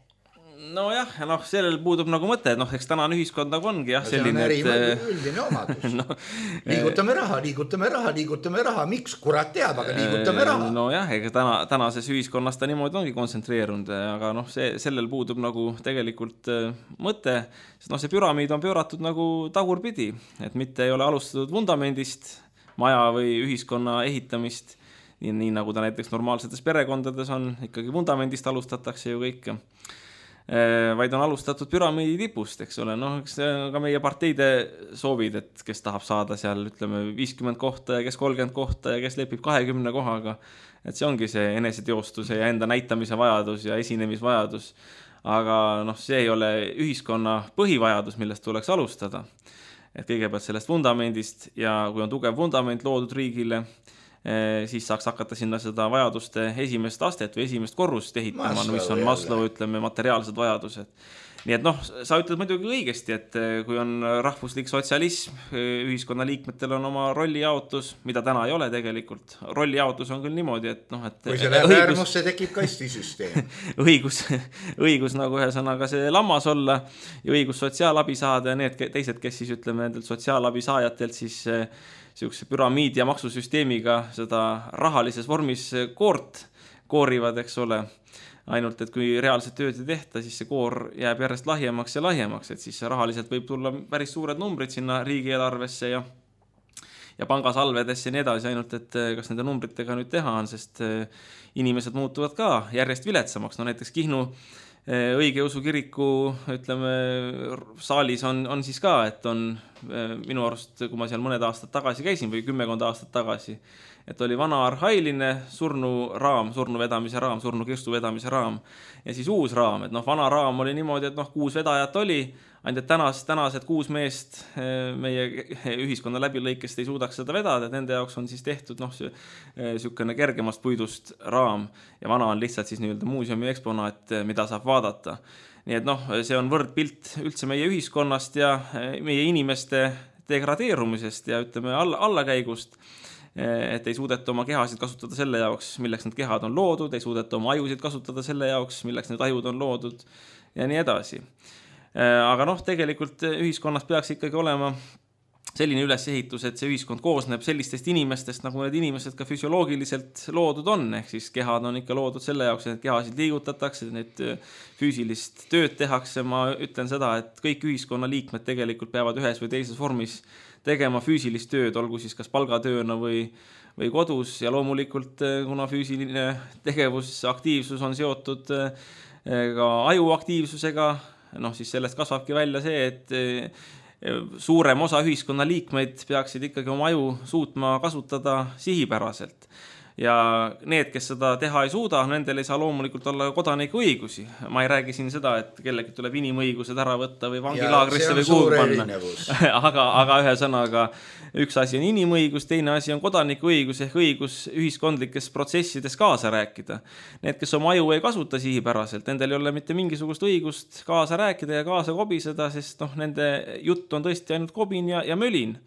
Nojah, sellel puudub nagu mõte, eks tänane ühiskond nagu ongi selline, üldine omadus. Liigutame raha, miks kurat teab, aga liigutame raha. Nojah, ega tänases ühiskonnas ta niimoodi ongi kontsentreerunud, aga sellel puudub nagu tegelikult mõte, sest see püramiid on pööratud nagu tagurpidi, et mitte ei ole alustatud vundamendist, maja või ühiskonna ehitamist, nii nagu ta näiteks normaalsetes perekondades on, ikkagi vundamendist alustatakse ju kõike. Vaid on alustatud püramiidi tipust, eks ole, eks ka meie parteide soovid, et kes tahab saada seal, ütleme, 50 kohta ja kes 30 kohta ja kes lepib 20 kohaga, et see ongi see eneseteostuse ja enda näitamise vajadus ja esinemisvajadus, aga see ei ole ühiskonna põhivajadus, millest tuleks alustada, et kõigepealt sellest vundamendist ja kui on tugev vundament loodud riigile, siis saaks hakata sinna seda vajaduste esimest astet või esimest korrust ehitama, mis on Maslow, ütleme, materiaalsed vajadused. Nii et sa ütled muidugi õigesti, et kui on rahvuslik sotsialism, ühiskonna liikmetel on oma rollijaotus, mida täna ei ole tegelikult. Rollijaotus on küll niimoodi, et kui see läheb äärmusse, tekib kastisüsteem. õigus nagu ühesõnaga see lammas olla ja õigus sotsiaalabi saada ja need teised, kes siis ütleme nendelt sotsiaalabi saajatelt siis siukse püramiidi ja maksusüsteemiga seda rahalises vormis koorivad, eks ole. Ainult, et kui reaalselt tööd ei tehta, siis see koor jääb järjest lahjemaks ja lahjemaks, et siis rahaliselt võib tulla päris suured numbrid sinna riigieelarvesse ja pangasalvedesse ja nii edasi, ainult, et kas nende numbritega nüüd teha on, sest inimesed muutuvad ka järjest viletsamaks. Näiteks Kihnu õigeusu kiriku, ütleme, saalis on siis ka, et on minu arust, kui ma seal mõned aastad tagasi käisin või 10 aastat tagasi, et oli vana arhailine surnu vedamise raam, surnu kirstu vedamise raam ja siis uus raam, et vana raam oli niimoodi, et 6 vedajat oli, ainult tänased 6 meest meie ühiskonna läbilõikest ei suudaks seda vedada, et nende jaoks on siis tehtud niisugune kergemast puidust raam ja vana on lihtsalt siis nii-öelda muuseumi eksponaat, mida saab vaadata. Nii et see on võrdpilt üldse meie ühiskonnast ja meie inimeste degradeerumisest ja ütleme allakäigust, et ei suudeta oma kehasid kasutada selle jaoks, milleks need kehad on loodud, ei suudeta oma ajusid kasutada selle jaoks, milleks need ajud on loodud ja nii edasi. Aga tegelikult ühiskonnas peaks ikkagi olema selline ülesehitus, et see ühiskond koosneb sellistest inimestest, nagu need inimesed ka füsioloogiliselt loodud on, ehk siis kehad on ikka loodud selle jaoks, et kehasid liigutatakse, need füüsilist tööd tehakse. Ma ütlen seda, et kõik ühiskonnaliikmed tegelikult peavad ühes või teises vormis tegema füüsilist tööd, olgu siis kas palgatööna või kodus, ja loomulikult, kuna füüsiline tegevus, aktiivsus on seotud ka ajuaktiivsusega, siis sellest kasvabki välja see, et suurem osa ühiskonna liikmeid peaksid ikkagi oma aju suutma kasutada sihipäraselt. Ja need, kes seda teha ei suuda, nendel ei saa loomulikult olla kodaniku õigusi. Ma ei räägi siin seda, et kellegi tuleb inimõigused ära võtta või vangilaagrisse või kuhugi panna. aga ühesõnaga, üks asi on inimõigus, teine asi on kodaniku õigus ehk õigus ühiskondlikes protsessides kaasa rääkida. Need, kes oma aju ei kasuta sihipäraselt, nendel ei ole mitte mingisugust õigust kaasa rääkida ja kaasa kobiseda, sest nende jutt on tõesti ainult kobin ja mölin.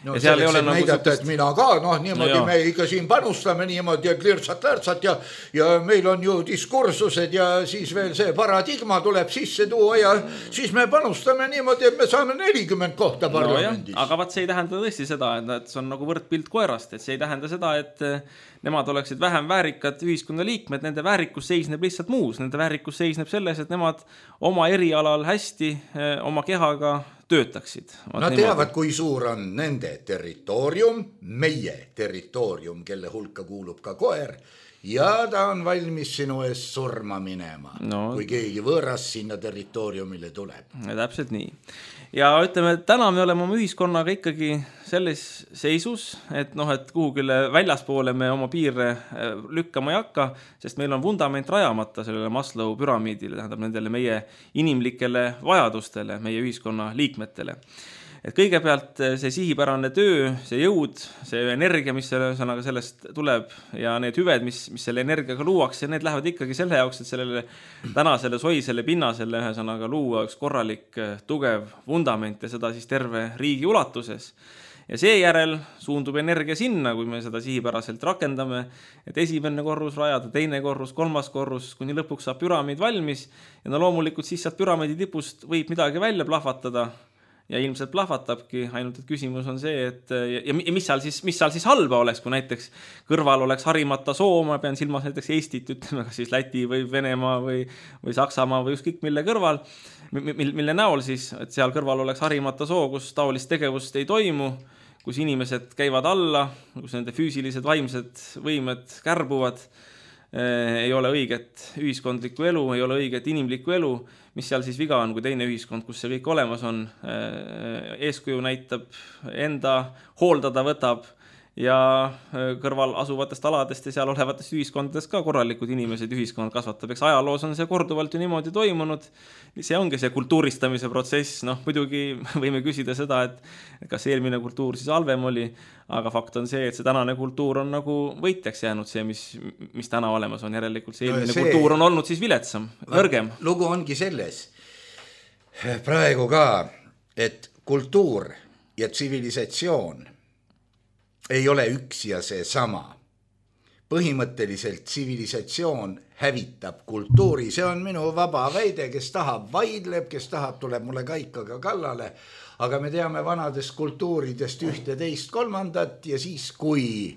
No selleks, et näidata, et mina ka, niimoodi me ikka siin panustame niimoodi, et lirtsat-lärtsat ja meil on ju diskursused ja siis veel see paradigma tuleb sisse tuua ja siis me panustame niimoodi, et me saame 40 kohta parlamendis. Aga vaat see ei tähenda tõesti seda, et see on nagu võrdpilt koerast, et see ei tähenda seda, et nemad oleksid vähem väärikad ühiskonna liikmed, nende väärikus seisneb lihtsalt muus, nende väärikus seisneb selles, et nemad oma erialal hästi oma kehaga töötaksid. Nad teavad, kui suur on nende territoorium, meie territoorium, kelle hulka kuulub ka koer, ja ta on valmis sinu ees surma minema, kui keegi võõras sinna territooriumile tuleb. Ja täpselt nii. Ja ütleme, et täna me oleme oma ühiskonnaga ikkagi selles seisus, et kuhugile väljaspoole me oma piire lükkama ei hakka, sest meil on vundament rajamata sellele Maslow püramiidile, tähendab nendele meie inimlikele vajadustele, meie ühiskonna liikmetele. Et kõigepealt see sihipärane töö, see jõud, see energia, mis sellest tuleb ja need hüved, mis selle energiaga luuakse, need lähevad ikkagi selle jaoks, et sellele tänasele soisele pinnasele ühesõnaga luua üks korralik tugev vundament ja seda siis terve riigi ulatuses. Ja seejärel suundub energia sinna, kui me seda sihipäraselt rakendame, et esimene korrus rajada, teine korrus, kolmas korrus, kuni lõpuks saab püramiid valmis ja loomulikult siis sealt püramiidi tipust võib midagi välja plahvatada ja ilmselt plahvatabki, ainult et küsimus on see, et ja mis seal siis halba oleks, kui näiteks kõrval oleks harimata soo, ma pean silmas näiteks Eestit, ütleme ka siis Läti või Venemaa või Saksamaa või ükskõik mille kõrval, mille näol siis, et seal kõrval oleks harimata soo, kus taolist tegevust ei toimu, kus inimesed käivad alla, kus nende füüsilised vaimsed võimed kärbuvad, ei ole õiget ühiskondlikku elu, ei ole õiget inimlikku elu, mis seal siis viga on, kui teine ühiskond, kus see kõik olemas on, eeskuju näitab, enda hooldada võtab ja kõrval asuvatest aladest ja seal olevatest ühiskondadest ka korralikud inimesed ühiskond kasvatab. Eks ajaloos on see korduvalt ju niimoodi toimunud. See ongi see kultuuristamise protsess. Muidugi võime küsida seda, et kas eelmine kultuur siis halvem oli, aga fakt on see, et see tänane kultuur on nagu võitjaks jäänud see, mis täna olemas on. Järelikult see eelmine kultuur on olnud siis viletsam, nõrgem. Lugu ongi selles praegu ka, et kultuur ja tsivilisatsioon ei ole üks ja see sama. Põhimõtteliselt tsivilisatsioon hävitab kultuuri, see on minu vaba väide, kes tahab vaidleb, kes tahab tuleb mulle kaikaga kallale, aga me teame vanadest kultuuridest 11-3 ja siis kui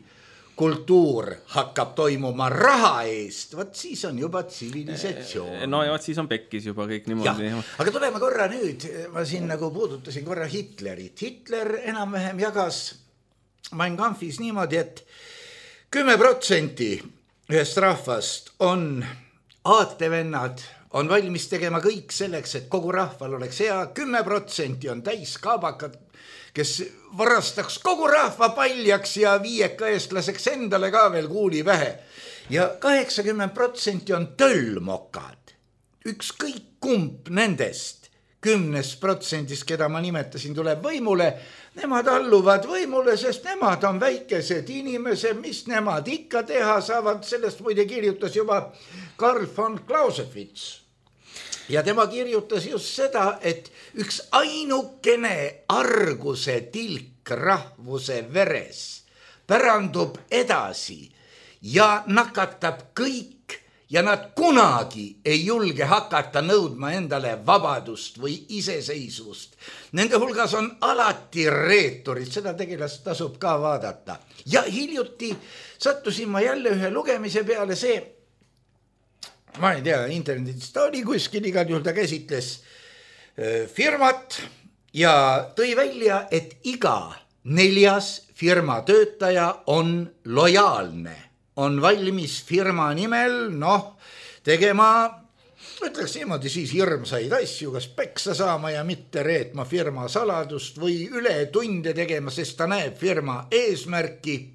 kultuur hakkab toimuma raha eest, võt siis on juba tsivilisatsioon. No ja siis on pekkis juba kõik niimoodi. Ja, aga tuleme korra nüüd, ma siin nagu puudutasin korra Hitlerit. Hitler enam-vähem jagas Mein Kampfis niimoodi, et 10% ühest rahvast on aatevennad, on valmis tegema kõik selleks, et kogu rahval oleks hea, 10% on täiskaabakad, kes varastaks kogu rahva paljaks ja viieka eestlaseks endale ka veel kuuli pähe. Ja 80% on tõllmokad, ükskõik kumb nendest 10%, keda ma nimetasin, tuleb võimule, nemad alluvad võimule, sest nemad on väikesed inimesed, mis nemad ikka teha saavad, sellest muide kirjutas juba Karl von Clausewitz. Ja tema kirjutas just seda, et üks ainukene arguse tilk rahvuse veres pärandub edasi ja nakatab kõik ja nad kunagi ei julge hakata nõudma endale vabadust või iseseisvust. Nende hulgas on alati reeturid, seda tegelast tasub ka vaadata. Ja hiljuti sattusin ma jälle ühe lugemise peale, see, ma ei tea, internetis ta oli kuskil, igal juhul ta käsitles firmat ja tõi välja, et iga 4. firma töötaja on lojaalne. On valmis firma nimel, tegema, ütleks niimoodi siis hirmsaid asju, kas peksa saama ja mitte reetma firma saladust või üle tunde tegema, sest ta näeb firma eesmärki.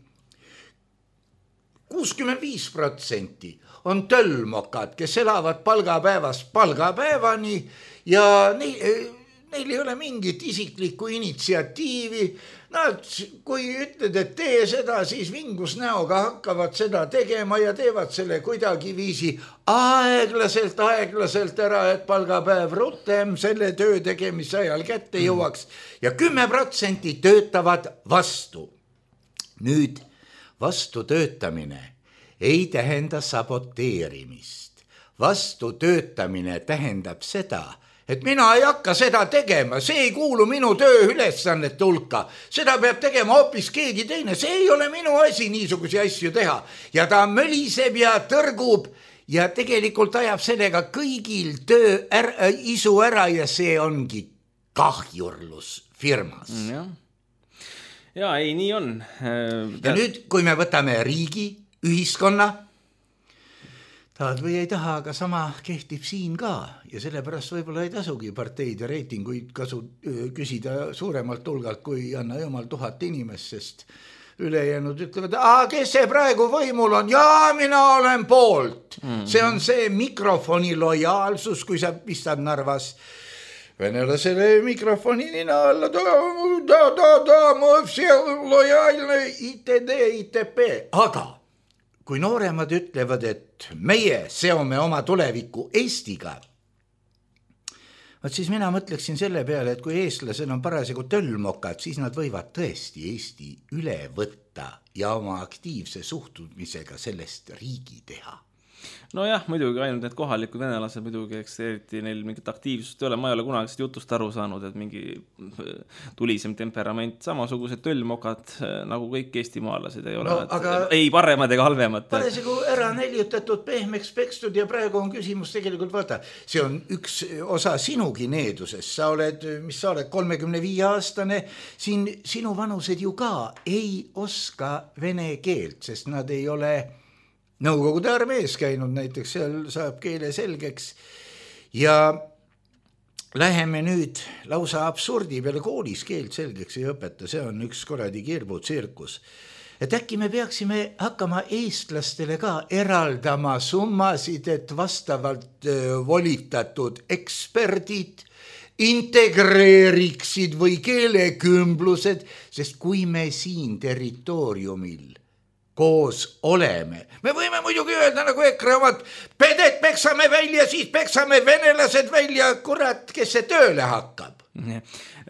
65% on töllmokad, kes elavad palgapäevast palgapäevani ja neil ei ole mingit isiklikku initsiatiivi. Nad, kui ütled, et tee seda, siis vingus näoga hakkavad seda tegema ja teevad selle kuidagi viisi aeglaselt ära, et palgapäev rutem selle töö tegemise ajal kätte jõuaks ja 10% töötavad vastu. Nüüd vastu töötamine ei tähenda saboteerimist. Vastu töötamine tähendab seda, et mina ei hakka seda tegema, see ei kuulu minu tööülesannete hulka, seda peab tegema hoopis keegi teine, see ei ole minu asi niisuguse asju teha. Ja ta möliseb ja tõrgub ja tegelikult ajab sellega kõigil isu ära ja see ongi kahjurlus firmas. Ja ei, nii on. Ja nüüd, kui me võtame riigi, ühiskonna, tahad või ei taha, aga sama kehtib siin ka ja sellepärast võib-olla ei tasugi parteid ja reitinguid küsida suuremalt hulgalt, kui anna jumal 1000 inimest, sest ülejäänud ütlevad, kes see praegu võimul on? Jaa, mina olen poolt. See on see mikrofoni lojaalsus, kui sa pistad Narvas venelasele mikrofoni nina alla, ma lojaalne ITP, aga kui nooremad ütlevad, et meie seome oma tuleviku Eestiga, siis mina mõtleksin selle peale, et kui eestlased on parasjagu töllmokad, siis nad võivad tõesti Eesti üle võtta ja oma aktiivse suhtumisega sellest riigi teha. Nojah, muidugi ainult need kohalikud venelased muidugi, eks eriti neil mingit aktiivsust ei ole, ma ei ole kunagi seda jutust aru saanud, et mingi tulisem temperament, samasugused töllmokad nagu kõik eestimaalased ei ole, ei paremad ega halvemad. Parasjagu ära neljutatud, pehmeks pekstud ja praegu on küsimus tegelikult, vaata, see on üks osa sinugi needusest, sa oled 35-aastane, siin sinu vanused ju ka ei oska vene keelt, sest nad ei ole Nõukogude armees käinud näiteks, seal saab keele selgeks ja läheme nüüd lausa absurdi peale, koolis keelt selgeks ei õpeta, see on üks korradi kirbutsirkus. Et äkki me peaksime hakkama eestlastele ka eraldama summasid, et vastavalt volitatud eksperdid integreeriksid või keelekümblused, sest kui me siin territooriumil koos oleme. Me võime muidugi öelda nagu EKRE omad, pedet peksame välja, siis peksame venelased välja, kurat, kes see tööle hakkab.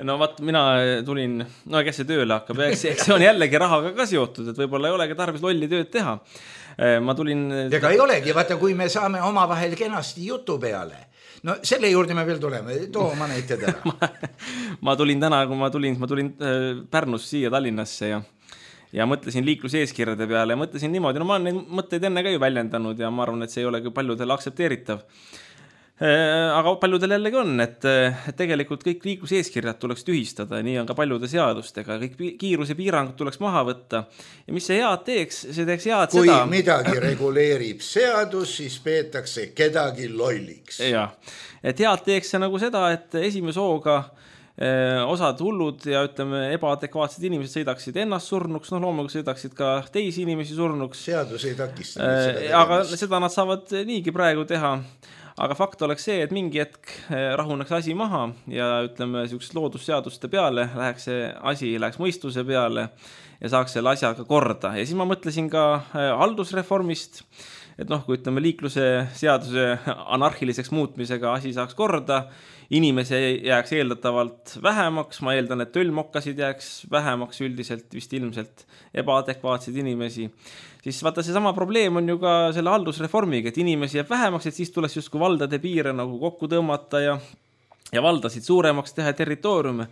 No vaat, mina tulin, kes see tööle hakkab, eks see on jällegi rahaga ka seotud, et võib-olla ei olegi tarvis lolli tööd teha. Ma tulin... Ega ei olegi, vaata, kui me saame omavahel kenasti jutu peale. No selle juurde me veel tuleme, too ma näited ära. ma tulin täna, kui ma tulin Pärnust siia Tallinnasse ja mõtlesin liikluseeskirjade peale ja mõtlesin niimoodi, ma olen neid mõtteid enne ka ju väljendanud ja ma arvan, et see ei ole paljudel aktsepteeritav. Aga paljudel jällegi on, et tegelikult kõik liikluseeskirjad tuleks tühistada, nii on ka paljude seadustega, kõik kiiruse piirangud tuleks maha võtta ja mis see head teeks, see teeks head kui seda. Kui midagi reguleerib seadus, siis peetakse kedagi lolliks. Ja, et head teeks see nagu seda, et esimese hooga osad hullud ja ütleme ebaadekvaatsed inimesed sõidaksid ennast surnuks, loomulikult sõidaksid ka teisi inimesi surnuks. Seadus ei takista. Aga seda nad saavad niigi praegu teha. Aga fakt oleks see, et mingi hetk rahuneks asi maha ja ütleme loodusseaduste peale läheks see asi, läheks mõistuse peale ja saaks selle asjaga korda. Ja siis ma mõtlesin ka haldusreformist, et noh, kui ütleme liikluse seaduse anarhiliseks muutmisega asi saaks korda, inimesi jääks eeldatavalt vähemaks, ma eeldan, et tölmokkasid jääks vähemaks üldiselt, vist ilmselt ebaadekvaatseid inimesi, siis vaata see sama probleem on ju ka selle haldusreformiga, et inimesi jääb vähemaks, et siis tuleks justkui valdade piire nagu kokku tõmmata ja valdasid suuremaks teha territooriume.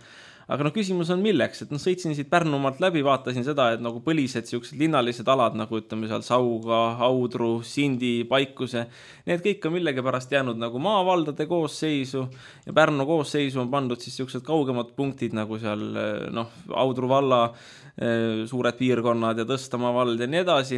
Aga no küsimus on milleks, et sõitsin siit Pärnumaalt läbi, vaatasin seda, et nagu põlised siuksed linnalised alad, nagu ütleme seal Sauga, Audru, Sindi, Paikuse, need kõik on millegi pärast jäänud nagu maavaldade koosseisu ja Pärnu koosseisu on pandud siis siuksed kaugemad punktid nagu seal Audru valla suured piirkonnad ja Tõstamaa vald ja nii edasi.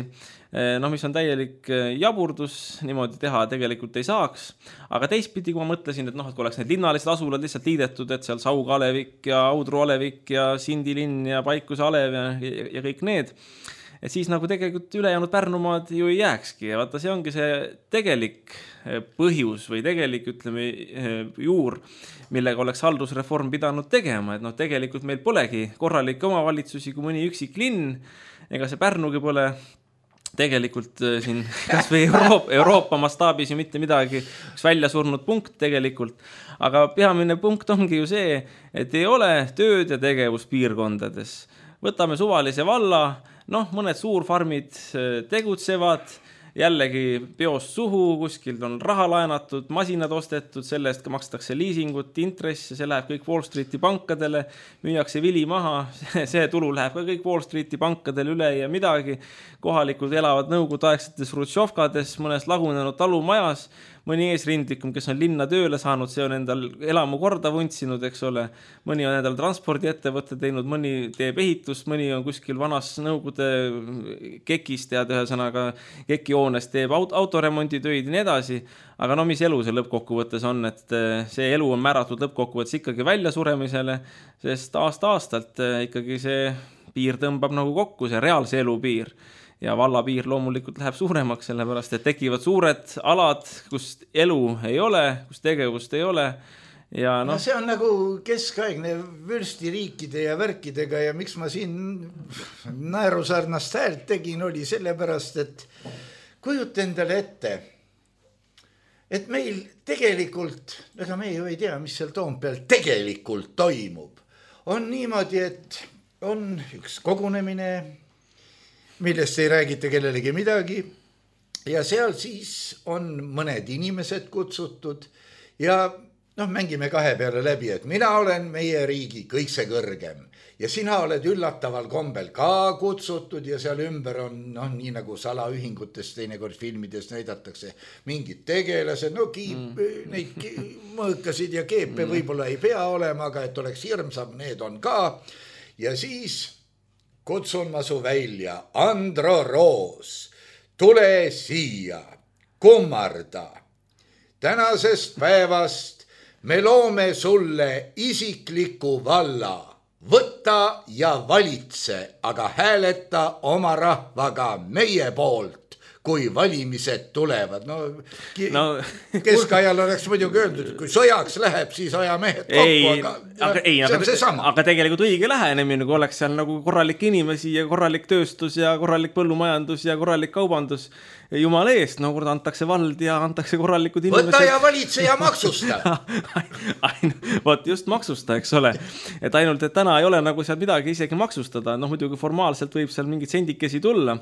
Mis on täielik jaburdus, niimoodi teha tegelikult ei saaks, aga teistpidi, kui ma mõtlesin, et kui oleks need linnalised asulad lihtsalt liidetud, et seal Sauga Alevik ja Audru Alevik ja Sindi linn ja Paikuse Alev ja kõik need, et siis nagu tegelikult ülejäänud Pärnumaad ju ei jääkski ja vaata, see ongi see tegelik põhjus või tegelik, ütleme, juur, millega oleks haldusreform pidanud tegema, et tegelikult meil polegi korralikke omavalitsusi kui mõni üksik linn, ega see Pärnugi pole tegelikult siin kas või Euroopa mastaabis ju mitte midagi, üks välja surnud punkt tegelikult, aga peamine punkt ongi ju see, et ei ole tööd ja tegevus piirkondades. Võtame suvalise valla, mõned suurfarmid tegutsevad, jällegi peost suhu, kuskilt on raha laenatud, masinad ostetud, selle eest makstakse liisingut, intress, see läheb kõik Wall Streeti pankadele, müüakse vili maha, see tulu läheb ka kõik Wall Streeti pankadele üle ja midagi. Kohalikud elavad nõukogudeaegsetes rutšovkades, mõnes lagunenud talumajas, mõni eesrindlikum, kes on linna tööle saanud, see on endal elamu korda vuntsinud, eks ole. Mõni on endal transpordiettevõtte teinud, mõni teeb ehitust, mõni on kuskil vanas nõukogude kekist ja ühesõnaga kekihoones teeb autoremonditöid ja nii edasi. Aga mis elu see lõppkokkuvõttes on, et see elu on määratud lõppkokkuvõttes ikkagi väljasuremisele, sest aasta-aastalt ikkagi see piir tõmbab nagu kokku, see reaalse elu piir. Ja vallapiir loomulikult läheb suuremaks, sellepärast, et tekivad suured alad, kus elu ei ole, kus tegevust ei ole. Ja see on nagu keskaegne vürstiriikide ja värkidega ja miks ma siin naerusarnast häält tegin, oli sellepärast, et kujuta endale ette, et meil tegelikult, ega me ju ei tea, mis seal Toompeal tegelikult toimub. On niimoodi, et on üks kogunemine, millest ei räägita kellelegi midagi ja seal siis on mõned inimesed kutsutud ja mängime kahe peale läbi, et mina olen meie riigi kõikse kõrgem ja sina oled üllataval kombel ka kutsutud ja seal ümber on nii nagu salaühingutes teinekord filmides näidatakse mingid tegelased, neid mõõkasid ja keepe võib-olla ei pea olema, aga et oleks hirmsam, need on ka ja siis kutsun ma su välja, Andro Roos, tule siia, kummarda. Tänasest päevast me loome sulle isikliku valla, võta ja valitse, aga hääleta oma rahvaga meie poolt, kui valimised tulevad. Keskajal oleks muidugi öeldud, kui sõjaks läheb, siis ajamehed kokku, see on see sama. Aga tegelikult õige lähenemine, kui oleks seal nagu korralik inimesi ja korralik tööstus ja korralik põllumajandus ja korralik kaubandus, jumala eest, kord antakse vald ja antakse korralikud inimesed. Võta ja valitse ja maksusta. Võt just maksusta, eks ole. Et ainult, et täna ei ole nagu seal midagi isegi maksustada. Muidugi formaalselt võib seal mingid sendikesi tulla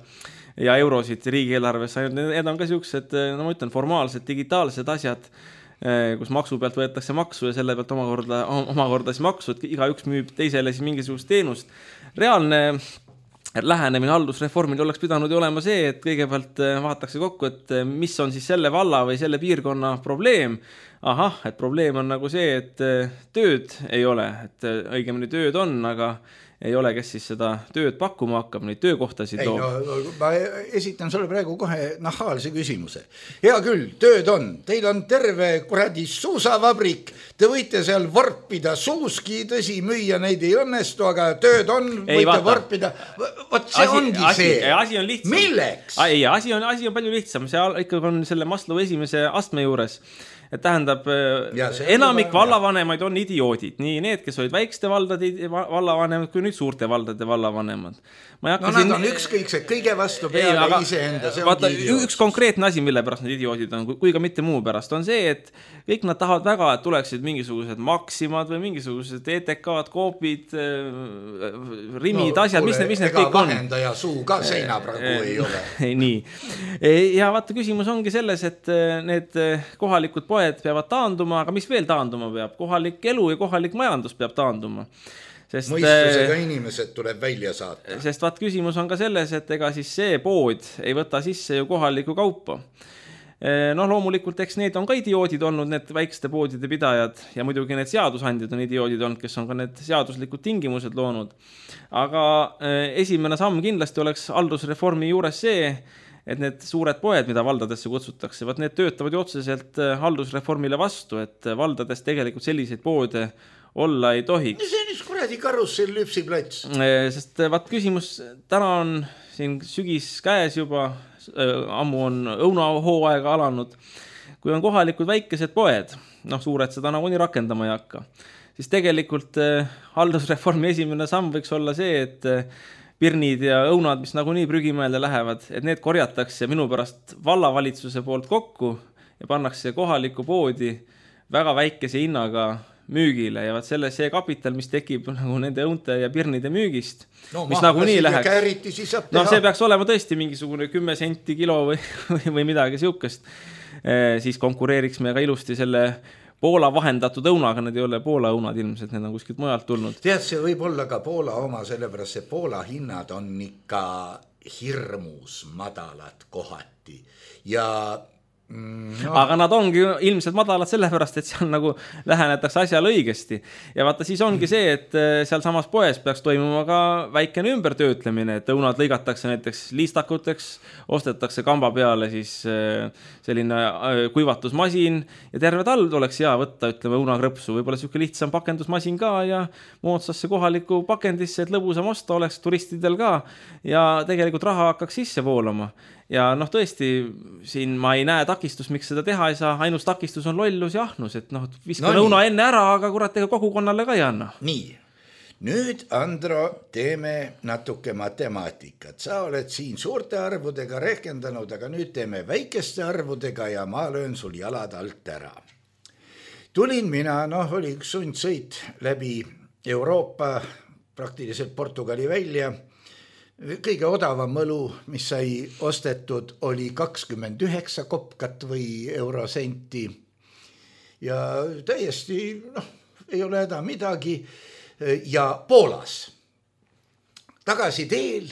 ja eurosid riigieelarvesse. Need on ka siuksed, ma ütlen, formaalsed, digitaalsed asjad, kus maksu pealt võetakse maksu ja selle pealt omakorda siis maksu, et igaüks müüb teisele siis mingisugust teenust. Reaalne lähenemine haldusreformil oleks pidanud ju olema see, et kõigepealt vaadatakse kokku, et mis on siis selle valla või selle piirkonna probleem. Et probleem on nagu see, et tööd ei ole, et õigemini tööd on, aga ei ole, kes siis seda tööd pakkuma hakkab, neid töökohtasid loob. Ma esitan sulle praegu kohe nahaalse küsimuse. Hea küll, tööd on. Teil on terve kuradi suusavabrik. Te võite seal vorpida suuski, tõsi, müüa neid ei õnnestu, aga tööd on, võite vorpida. Vot see ongi see. Asi on lihtsam. Milleks? Asi on palju lihtsam. See ikkagi on selle Maslow esimese astme juures. et tähendab, enamik vallavanemaid on idioodid, nii need, kes olid väikeste valdade vallavanemad, kui nüüd suurte valdade vallavanemad. Nad on ükskõiksed kõige vastu peale iseenda, see ongi idioot. Üks konkreetne asi, mille pärast need idioodid on, kui ka mitte muu pärast, on see, et kõik nad tahavad väga, et tuleksid mingisugused maksimad või mingisugused ETK-d, koopid, rimid, asjad, mis need kõik on. Vahendaja suu ka seina praegu ei ole. Nii. Ja vaata, küsimus ongi selles, et need kohalikud poed peavad taanduma, aga mis veel taanduma peab? Kohalik elu ja kohalik majandus peab taanduma. Sest, mõistusega inimesed tuleb välja saata. Sest vaat küsimus on ka selles, et ega siis see pood ei võta sisse ju kohalikku kaupa. Loomulikult, eks need on ka idioodid olnud, need väikeste poodide pidajad ja muidugi need seadusandjad on idioodid olnud, kes on ka need seaduslikud tingimused loonud. Aga esimene samm kindlasti oleks haldusreformi juures see, et need suured poed, mida valdadesse kutsutakse, vaat need töötavad ju otseselt haldusreformile vastu, et valdades tegelikult selliseid poode olla ei tohiks. See on üks kuradi karussell lüpsiplats. Sest vaat küsimus, täna on siin sügis käes juba, ammu on õunahooaega alanud. Kui on kohalikud väikesed poed, suured seda nagu nii rakendama ei hakka, siis tegelikult haldusreformi esimene samm võiks olla see, et pirnid ja õunad, mis nagu nii prügimäelde lähevad, et need korjatakse minu pärast vallavalitsuse poolt kokku ja pannakse kohalikku poodi väga väikese hinnaga müügile ja see kapital, mis tekib nagu nende õunte ja pirnide müügist, mis nagu nii läheks. See peaks olema tõesti mingisugune 10 senti kilo või midagi siukest. Siis konkureeriks me ka ilusti selle Poola vahendatud õunaga, need ei ole Poola õunad ilmselt, need on kuskilt mujalt tulnud. Tead, see võib olla ka Poola oma, sellepärast see Poola hinnad on ikka hirmus madalad kohati ja aga nad ongi ilmselt madalad sellepärast, et seal nagu lähenetakse asjale õigesti. Ja vaata, siis ongi see, et seal samas poes peaks toimuma ka väikene ümbertöötlemine, et õunad lõigatakse näiteks liistakuteks, ostetakse kamba peale siis selline kuivatusmasin ja terve talv oleks hea võtta, ütleme, õunakrõpsu, võib-olla siuke lihtsam pakendusmasin ka ja moodsasse kohaliku pakendisse, et lõbusam osta oleks turistidel ka ja tegelikult raha hakkaks sisse voolama. Ja tõesti, siin ma ei näe takistust, miks seda teha ei saa, ainus takistus on lollus ja ahnus, et viskan õuna enne ära, aga kurat, ega kogukonnale ka ei anna. Nii, nüüd Andro, teeme natuke matemaatikat. Sa oled siin suurte arvudega rehkendanud, aga nüüd teeme väikeste arvudega ja ma löön sul jalad alt ära. Tulin mina, oli üks sundsõit läbi Euroopa, praktiliselt Portugali välja. Kõige odavam õlu, mis sai ostetud, oli 29 kopkat või eurosenti ja täiesti, ei ole häda midagi ja Poolas tagasi teel,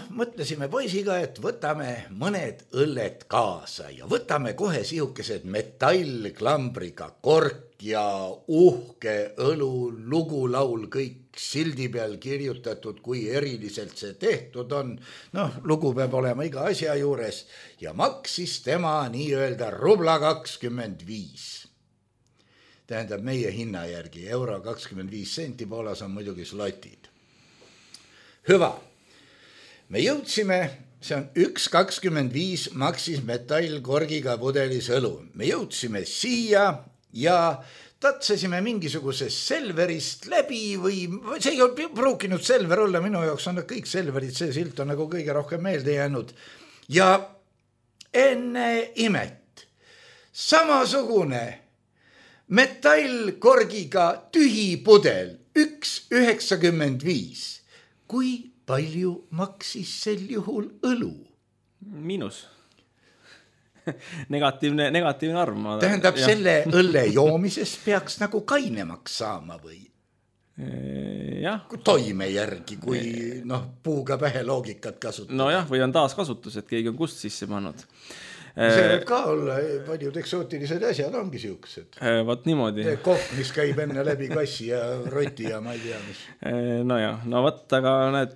mõtlesime poisiga, et võtame mõned õlled kaasa ja võtame kohe sihukesed metallklambriga kork ja uhke õlu, lugulaul, kõik sildi peal kirjutatud, kui eriliselt see tehtud on. Lugu peab olema iga asja juures ja maksis tema nii-öelda rubla 25. Tähendab meie hinna järgi euro 25 senti, Poolas on muidugi slotid. Hüva, me jõudsime, see on 1,25 maksis metallkorgiga pudelis õlu. Me jõudsime siia ja tatsesime mingisugusest Selverist läbi või see ei ole pruukinud Selver olla, minu jaoks on kõik Selverid, see silt on nagu kõige rohkem meelde jäänud. Ja enne imet, samasugune metallkorgiga tühi pudel, 1,95. Kui palju maksis sel juhul õlu? Miinus. Negatiivne arv. Tähendab, selle õlle joomisest peaks nagu kainemaks saama või? Jah. Toime järgi, kui puuga pähe loogikat kasutada. Või on taaskasutus, et keegi on kust sisse pannud. See võib ka olla, paljud eksootilised asjad ongi siuksed. Vaat niimoodi. Kohv, mis käib enne läbi kassi ja roti ja ma ei tea mis. Aga näed,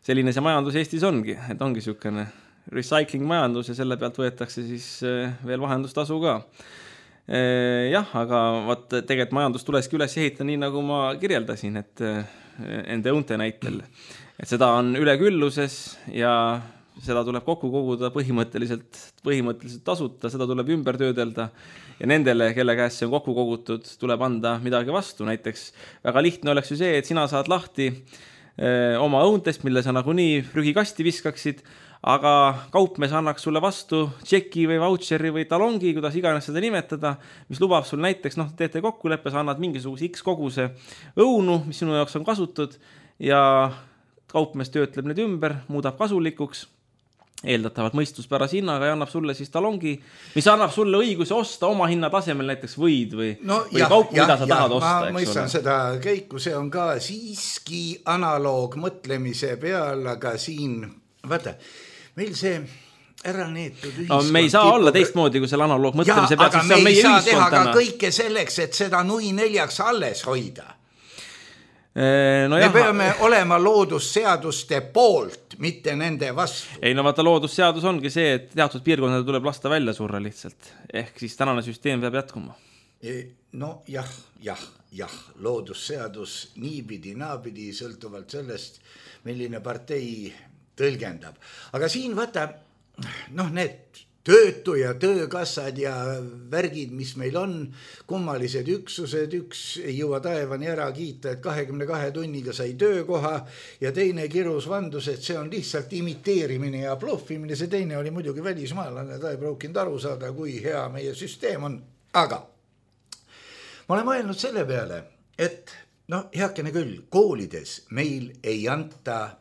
selline see majandus Eestis ongi, et ongi siukene recycling majandus ja selle pealt võetakse siis veel vahendustasu ka. Aga tegelikult majandus tuleski üles ehita nii, nagu ma kirjeldasin, et ende õunte näitel. Et seda on ülekülluses ja seda tuleb kokku koguda põhimõtteliselt tasuta, seda tuleb ümber töödelda ja nendele, kelle käest see on kokku kogutud, tuleb anda midagi vastu. Näiteks väga lihtne oleks ju see, et sina saad lahti oma õuntest, mille sa nagunii prügikasti viskaksid, aga kaupmees annaks sulle vastu tšeki või vautšeri või talongi, kuidas iganes seda nimetada, mis lubab sul näiteks, teete kokkuleppe, sa annad mingisuguse X koguse õunu, mis sinu jaoks on kasutud ja kaupmees töötleb need ümber, muudab kasulikuks, eeldatavalt mõistuspärase hinnaga ja annab sulle siis talongi, mis annab sulle õiguse osta oma hinna tasemel näiteks võid või kaup, mida sa tahad osta. Ma mõistan seda käiku, see on ka siiski analoog mõtlemise peal, aga siin, vaata, meil see ära neetud ühiskond... me ei saa olla teistmoodi kui selle analoog mõtlemise peal, aga me ei saa teha ka kõike selleks, et seda nui neljaks alles hoida. Me peame olema loodusseaduste poolt, mitte nende vastu. Ei, vaata, loodusseadus ongi see, et teatud piirkonnad tuleb lasta välja surra lihtsalt. Ehk siis tänane süsteem peab jätkuma. Jah, loodusseadus niipidi, naapidi, sõltuvalt sellest, milline partei tõlgendab. Aga siin vaata, need töötu ja töökassad ja värgid, mis meil on, kummalised üksused, üks ei jõua taevani ära kiita, et 22 tunniga sai töökoha ja teine kirus vandus, et see on lihtsalt imiteerimine ja bluffimine, see teine oli muidugi välismaalane, ta ei pruukinud aru saada, kui hea meie süsteem on. Aga ma olen mõelnud selle peale, et heakene küll, koolides meil ei anta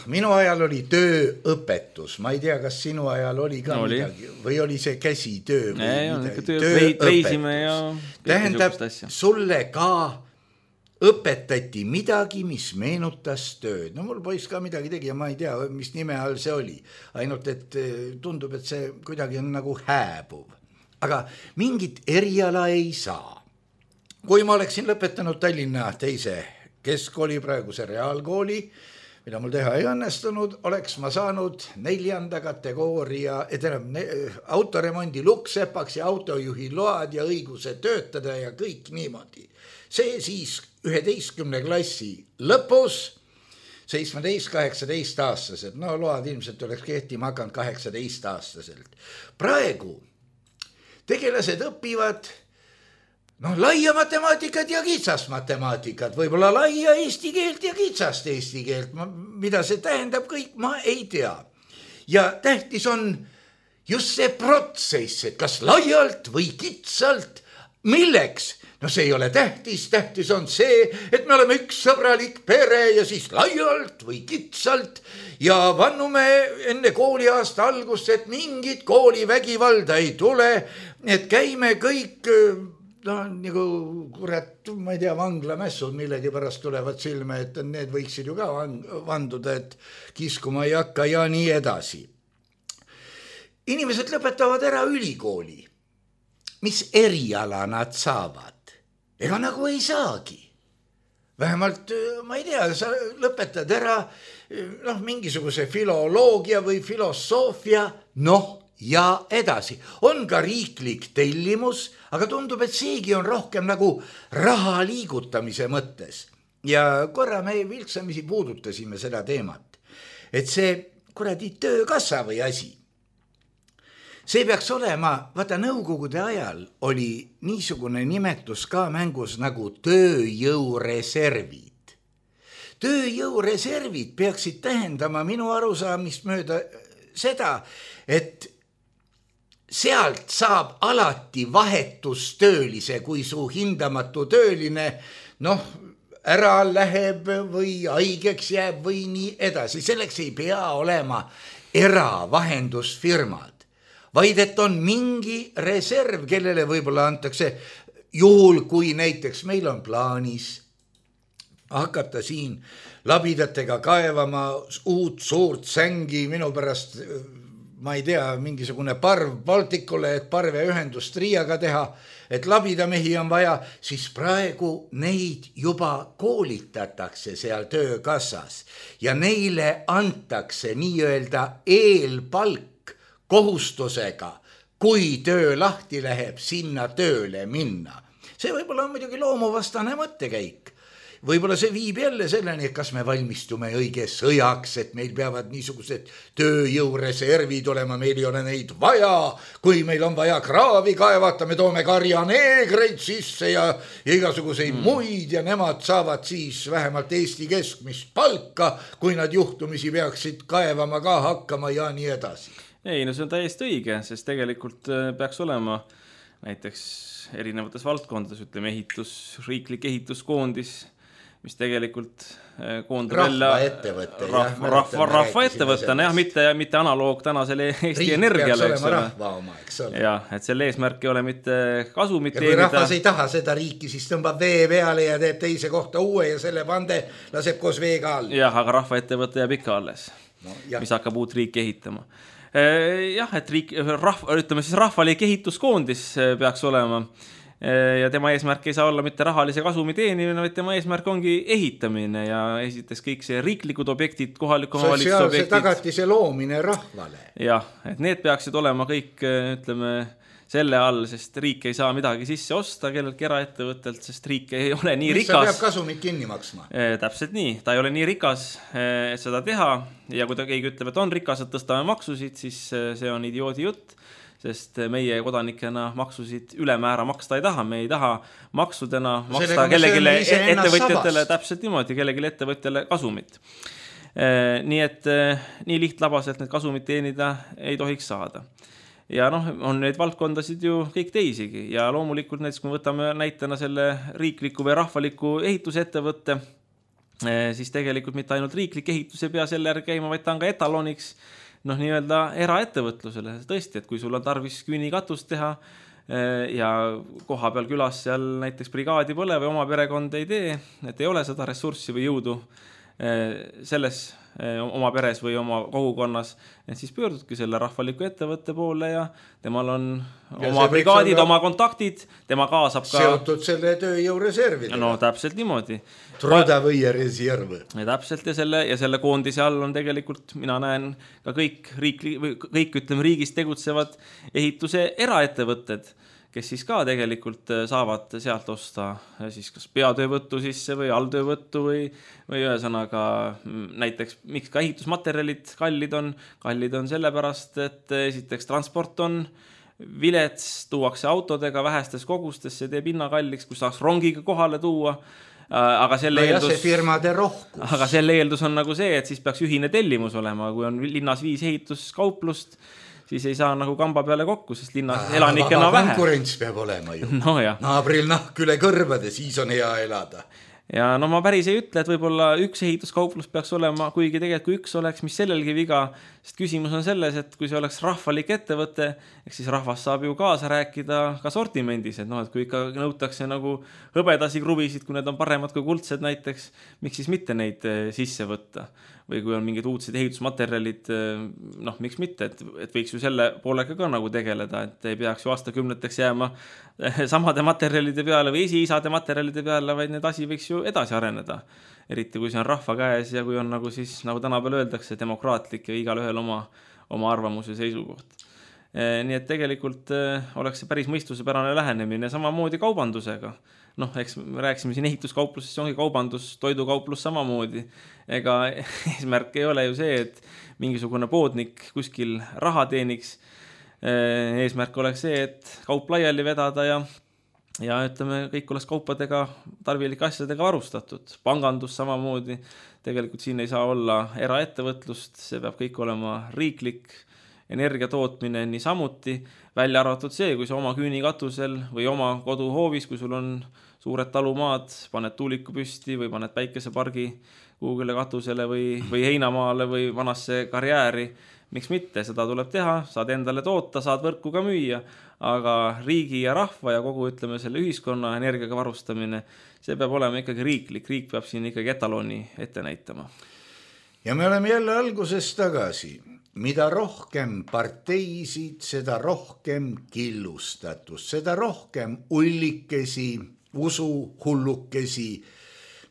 minu ajal oli tööõpetus, ma ei tea, kas sinu ajal oli ka midagi või oli see käsitöö või tööõpetus. Tähendab, sulle ka õpetati midagi, mis meenutas tööd. Mul poiss ka midagi tegi ja ma ei tea, mis nime all see oli. Ainult, et tundub, et see kuidagi on nagu hääbuv. Aga mingit eriala ei saa. Kui ma oleksin lõpetanud Tallinna teise keskkooli, praeguse reaalkooli, mida mul teha ei õnnestunud, oleks ma saanud 4. kategooria, autoremondi luksepaks ja autojuhi load ja õiguse töötada ja kõik niimoodi. See siis 11. klassi lõpus, 17-18 aastaselt, load ilmselt oleks kehtima hakanud 18 aastaselt. Praegu tegelased õpivad laia matemaatikat ja kitsast matemaatikat, võib-olla laia eesti keelt ja kitsast eesti keelt, mida see tähendab kõik, ma ei tea. Ja tähtis on just see protsess, et kas laialt või kitsalt, milleks? See ei ole tähtis, tähtis on see, et me oleme üks sõbralik pere ja siis laialt või kitsalt ja vannume enne kooliaasta algust, et mingit koolivägivalda ei tule, et käime kõik... nagu kurat, ma ei tea, vanglamässud millegi pärast tulevad silme, et need võiksid ju ka vanduda, et kiskuma ei hakka ja nii edasi. Inimesed lõpetavad ära ülikooli. Mis eriala nad saavad? Ega nagu ei saagi. Vähemalt, ma ei tea, sa lõpetad ära mingisuguse filoloogia või filosoofia, ja edasi. On ka riiklik tellimus, aga tundub, et seegi on rohkem nagu raha liigutamise mõttes. Ja korra me vilksamisi puudutasime seda teemat, et see kuradi töökassa või asi. See peaks olema, vaata nõukogude ajal oli niisugune nimetus ka mängus nagu tööjõureservid. Tööjõureservid peaksid tähendama minu arusaamist mööda seda, et sealt saab alati vahetustöölise, kui su hindamatu tööline, ära läheb või haigeks jääb või nii edasi. Selleks ei pea olema eravahendusfirmad, vaid et on mingi reserv, kellele võib-olla antakse juhul, kui näiteks meil on plaanis hakata siin labidatega kaevama uut suurt sängi minu pärast... ma ei tea, mingisugune parv Baltikule, et parveühendust Riiaga teha, et labidamehi on vaja, siis praegu neid juba koolitatakse seal töökassas ja neile antakse nii-öelda eelpalk kohustusega, kui töö lahti läheb, sinna tööle minna. See võib-olla on muidugi loomuvastane mõttekäik. võib-olla see viib jälle selleni, et kas me valmistume õige sõjaks, et meil peavad niisugused tööjõureservid olema, meil ei ole neid vaja, kui meil on vaja kraavi kaevata, me toome karjaneegreid sisse ja igasuguseid muid ja nemad saavad siis vähemalt Eesti keskmist palka, kui nad juhtumisi peaksid kaevama ka hakkama ja nii edasi. Ei, no see on täiesti õige, sest tegelikult peaks olema näiteks erinevates valdkondades, ütleme riiklik ehituskoondis, mis tegelikult koondab rahvaettevõttena, mitte analoog tänasele Eesti Energiale, eks ole. Ja, et selle eesmärk ei ole mitte kasumit teenida. Ja kui rahvas ei taha seda riiki, siis tõmbab vee peale ja teeb teise kohta uue ja selle pande laseb koos veega all. Jah, aga rahvaettevõtte jääb ikka alles, mis hakkab uut riiki ehitama. Jah, et ütleme siis rahvalik ehituskoondis peaks olema ja tema eesmärk ei saa olla mitte rahalise kasumi teenimine, vaid tema eesmärk ongi ehitamine ja esiteks kõik see riiklikud objektid, kohaliku omavalitsuse objektid. Sotsiaalse tagatise loomine rahvale. Jah, et need peaksid olema kõik, ütleme, selle all, sest riik ei saa midagi sisse osta kelleltki eraettevõttelt, sest riik ei ole nii rikas. Mis sa peab kasumit kinni maksma? Täpselt nii, ta ei ole nii rikas, et seda teha ja kui ta keegi ütleb, et on rikas, et tõstame maksusid, siis see on idioodi jutt, sest meie kodanikena maksusid ülemäära maksta ei taha, me ei taha maksudena maksta kellegile ettevõtjatele, täpselt niimoodi, kellegile ettevõtjale kasumit. Nii et nii lihtlabaselt need kasumit teenida ei tohiks saada. Ja on neid valdkondasid ju kõik teisigi ja loomulikult näiteks, kui võtame näitena selle riikliku või rahvaliku ehitusettevõtte, siis tegelikult mitte ainult riiklik ehitus ei pea selle järgi käima, vaid ta on ka etaloniks nii-öelda eraettevõtlusele. Tõesti, et kui sul on tarvis küünikatust teha ja koha peal külas seal näiteks brigaadi pole või oma perekond ei tee, et ei ole seda ressurssi või jõudu selles oma peres või oma kogukonnas, et siis pöördudki selle rahvaliku ettevõtte poole ja temal on oma brigaadid, oma kontaktid, tema kaasab ka seotud selle tööjõureservidega. No täpselt niimoodi. Trodavõie reserv. Ja täpselt ja selle koondise all on tegelikult, mina näen ka kõik ütleme riigis tegutsevad ehituse eraettevõtted, kes siis ka tegelikult saavad sealt osta siis kas peatöövõttu sisse või alltöövõttu või ühesõnaga näiteks miks ka ehitusmaterjalid kallid on sellepärast, et esiteks transport on vilets, tuuakse autodega vähestes kogustes, see teeb hinna kalliks, kui saaks rongiga kohale tuua. Aga selle eeldus on nagu see, et siis peaks ühine tellimus olema, kui on linnas 5 ehituskauplust, siis ei saa nagu kamba peale kokku, sest linnas elanikena vähe. Konkurents peab olema ju. No, naabril nahk üle kõrvade, siis on hea elada. Ja ma päris ei ütle, et võib-olla üks ehituskauplus peaks olema, kuigi tegelikult kui üks oleks, mis sellelgi viga, sest küsimus on selles, et kui see oleks rahvalik ettevõte, siis rahvas saab ju kaasa rääkida ka sortimendis, et kui ikka nõutakse nagu hõbedasi kruvisid, kui need on paremad kui kuldsed näiteks, miks siis mitte neid sisse võtta? Või kui on mingid uudsed ehitusmaterjalid, miks mitte, et võiks ju selle poolega ka nagu tegeleda, et ei peaks ju aastakümneteks jääma samade materjalide peale või esiisade materjalide peale, vaid need asi võiks ju edasi areneda. Eriti kui see on rahva käes ja kui on nagu siis, nagu tänapäeval öeldakse, demokraatlik ja igal ühel oma arvamus ja seisukoht. Nii et tegelikult oleks see päris mõistusepärane lähenemine samamoodi kaubandusega. Eks me rääksime siin ehituskauplusest, see ongi kaubandus, toidukauplus samamoodi. Ega eesmärk ei ole ju see, et mingisugune poodnik kuskil raha teeniks. Eesmärk oleks see, et kaup laiali vedada ja ütleme, kõik oleks kaupadega, tarvilike asjadega varustatud. Pangandus samamoodi. Tegelikult siin ei saa olla eraettevõtlust, see peab kõik olema riiklik, energiatootmine nii samuti, välja arvatud see, kui sa oma küünikatusel või oma koduhoovis, kui sul on suured talumaad, paned tuuliku püsti või paned päikesepargi kuhugile katusele või heinamaale või vanasse karjääri, miks mitte, seda tuleb teha, saad endale toota, saad võrku ka müüa, aga riigi ja rahva ja kogu ütleme selle ühiskonna energiaga varustamine, see peab olema ikkagi riik peab siin ikkagi etaloni ette näitama. Ja me oleme jälle alguses tagasi. Mida rohkem parteisid, seda rohkem killustatus, seda rohkem ullikesi, usuhullukesi,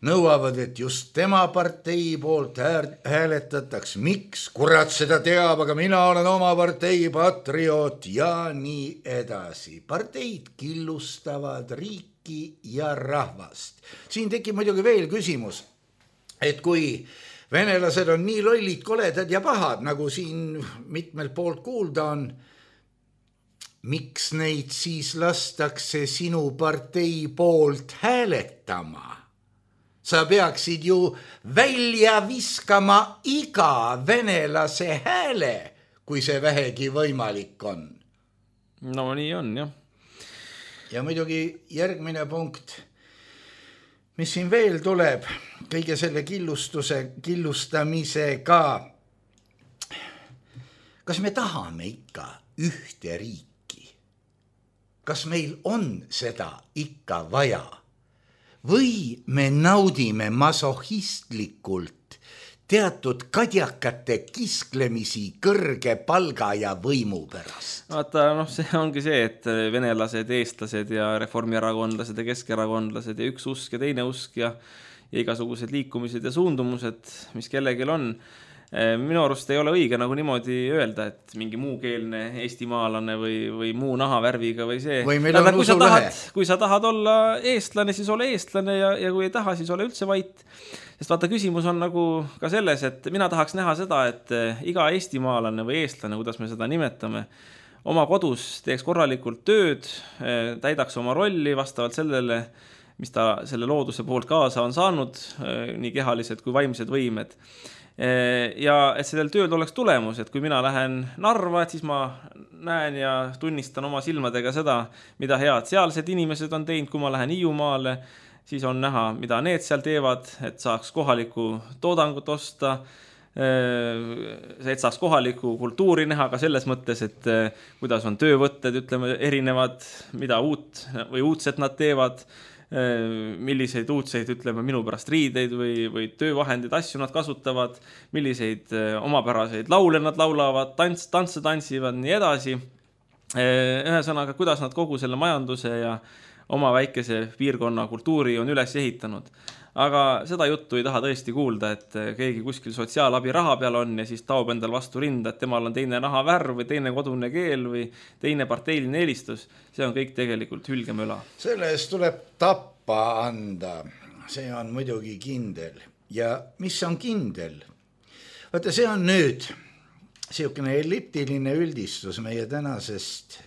nõuavad, et just tema partei poolt hääletataks. Miks? Kurat seda teab, aga mina olen oma partei patrioot ja nii edasi. Parteid killustavad riiki ja rahvast. Siin tekib muidugi veel küsimus, et kui venelased on nii lollid, koledad ja pahad, nagu siin mitmelt poolt kuulda on, miks neid siis lastakse sinu partei poolt hääletama? Sa peaksid ju välja viskama iga venelase hääle, kui see vähegi võimalik on. No nii on, jah. Ja muidugi järgmine punkt, mis siin veel tuleb, kõige selle killustamisega. Kas me tahame ikka ühte riiki? Kas meil on seda ikka vaja? Või me naudime masohistlikult teatud kadjakate kisklemisi kõrge palga ja võimu pärast? Vaata, see ongi see, et venelased, eestlased ja reformierakondlased ja keskerakondlased ja üks usk ja teine usk ja igasugused liikumised ja suundumused, mis kellelgi on. Minu arust ei ole õige nagu niimoodi öelda, et mingi muukeelne eestimaalane või muu nahavärviga või see. Või meil on usulõhe. Kui sa tahad olla eestlane, siis ole eestlane ja kui ei taha, siis ole üldse vait. Sest vaata, küsimus on nagu ka selles, et mina tahaks näha seda, et iga eestimaalane või eestlane, kuidas me seda nimetame, oma kodus teeks korralikult tööd, täidaks oma rolli vastavalt sellele, mis ta selle looduse poolt kaasa on saanud, nii kehalised kui vaimsed võimed. Ja et sellel tööl oleks tulemus, et kui mina lähen Narva, et siis ma näen ja tunnistan oma silmadega seda, mida head sealsed inimesed on teinud. Kui ma lähen Hiiumaale, siis on näha, mida need seal teevad, et saaks kohalikku toodangut osta, et saaks kohalikku kultuuri näha ka selles mõttes, et kuidas on töövõtted, ütleme, erinevad, mida uut või uudset nad teevad, milliseid uudseid, ütleme, minu pärast riideid või töövahendid, asju nad kasutavad, milliseid omapäraseid laule nad laulavad, tantse tantsivad, nii edasi. Ühesõnaga, kuidas nad kogu selle majanduse ja oma väikese piirkonna kultuuri on üles ehitanud. Aga seda juttu ei taha tõesti kuulda, et keegi kuskil sotsiaalabi raha peal on ja siis taob endal vastu rinda, et temal on teine nahavärv või teine kodune keel või teine parteiline eelistus. See on kõik tegelikult hülgemöla. Selle eest tuleb tappa anda. See on muidugi kindel. Ja mis on kindel? Vaata, see on nüüd siukene elliptiline üldistus meie tänasest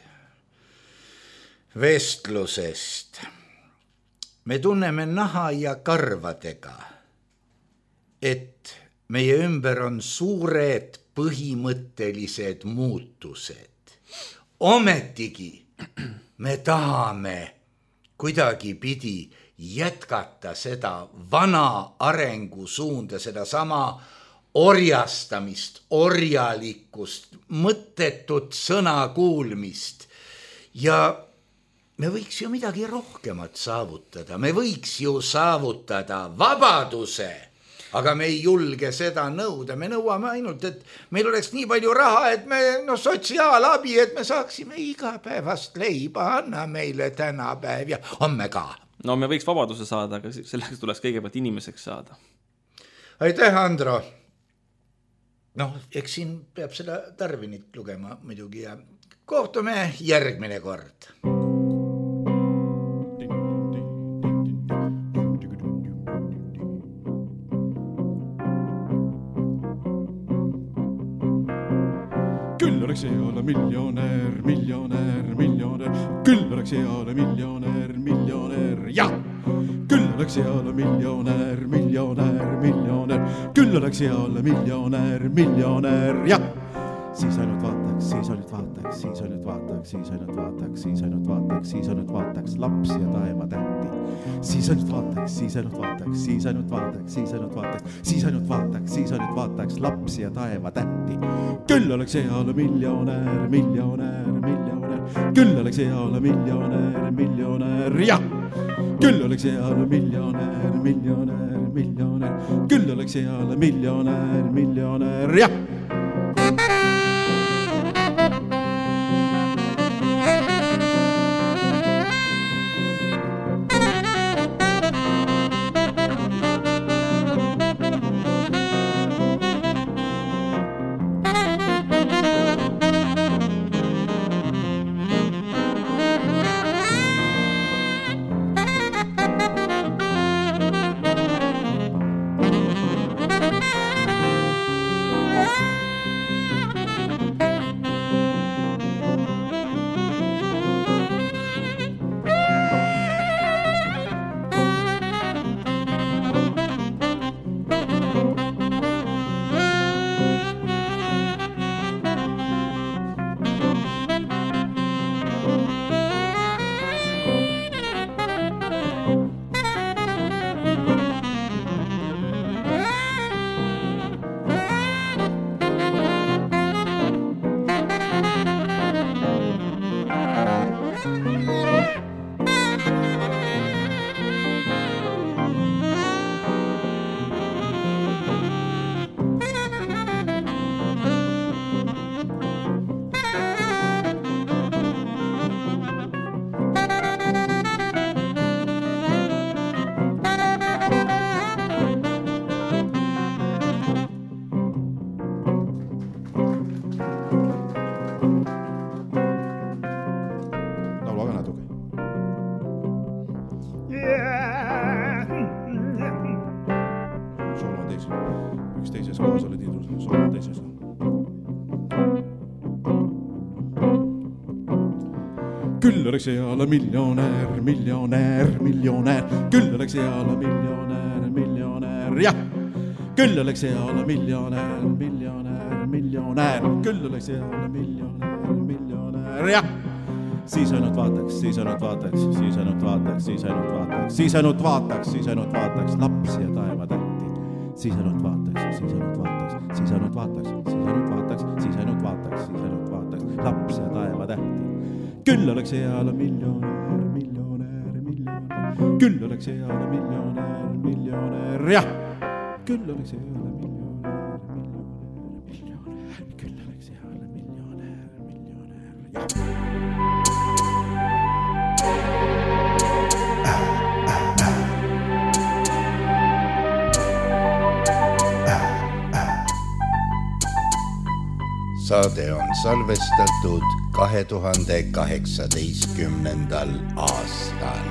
vestlusest. Me tunneme naha ja karvadega, et meie ümber on suured põhimõttelised muutused. Ometigi me tahame kuidagi pidi jätkata seda vana arengusuunda, seda sama orjastamist, orjalikkust, mõttetut sõna kuulmist ja me võiks ju midagi rohkemat saavutada, me võiks ju saavutada vabaduse, aga me ei julge seda nõuda, me nõuame ainult, et meil oleks nii palju raha, et me sotsiaalabi, et me saaksime igapäevast leiba, anna meile tänapäev ja homme ka. No me võiks vabaduse saada, aga selleks tuleks kõigepealt inimeseks saada. Aitäh, Andro! Eks siin peab seda Darwinit lugema muidugi ja kohtume järgmine kord. Küll oleks hea olla miljonär, küll oleks hea olla miljonär, jah! Küll oleks hea olla miljonär, küll oleks hea olla miljonär, jah! Siis ainult vaataks lapsi ja taeva tähti. Siis ainult vaataks lapsi ja taeva tähti. Küll oleks hea olla miljonär, küll oleks hea olla miljonär, jah! Küll oleks hea olla miljonär, küll oleks hea olla miljonär, jah! küll oleks hea olla miljonär, küll oleks hea olla miljonär, jah. Küll oleks hea olla miljonär, küll oleks hea olla miljonär, jah. Siis ainult vaataks lapsi ja taevatähti. Siis ainult vaataks lapsi ja taevatähti. Küll oleks hea olla miljonär, küll oleks hea olla miljonär, jah. Küll oleks hea olla miljonär, küll oleks hea olla miljonär, jah. Saade on salvestatud 2018. aastal.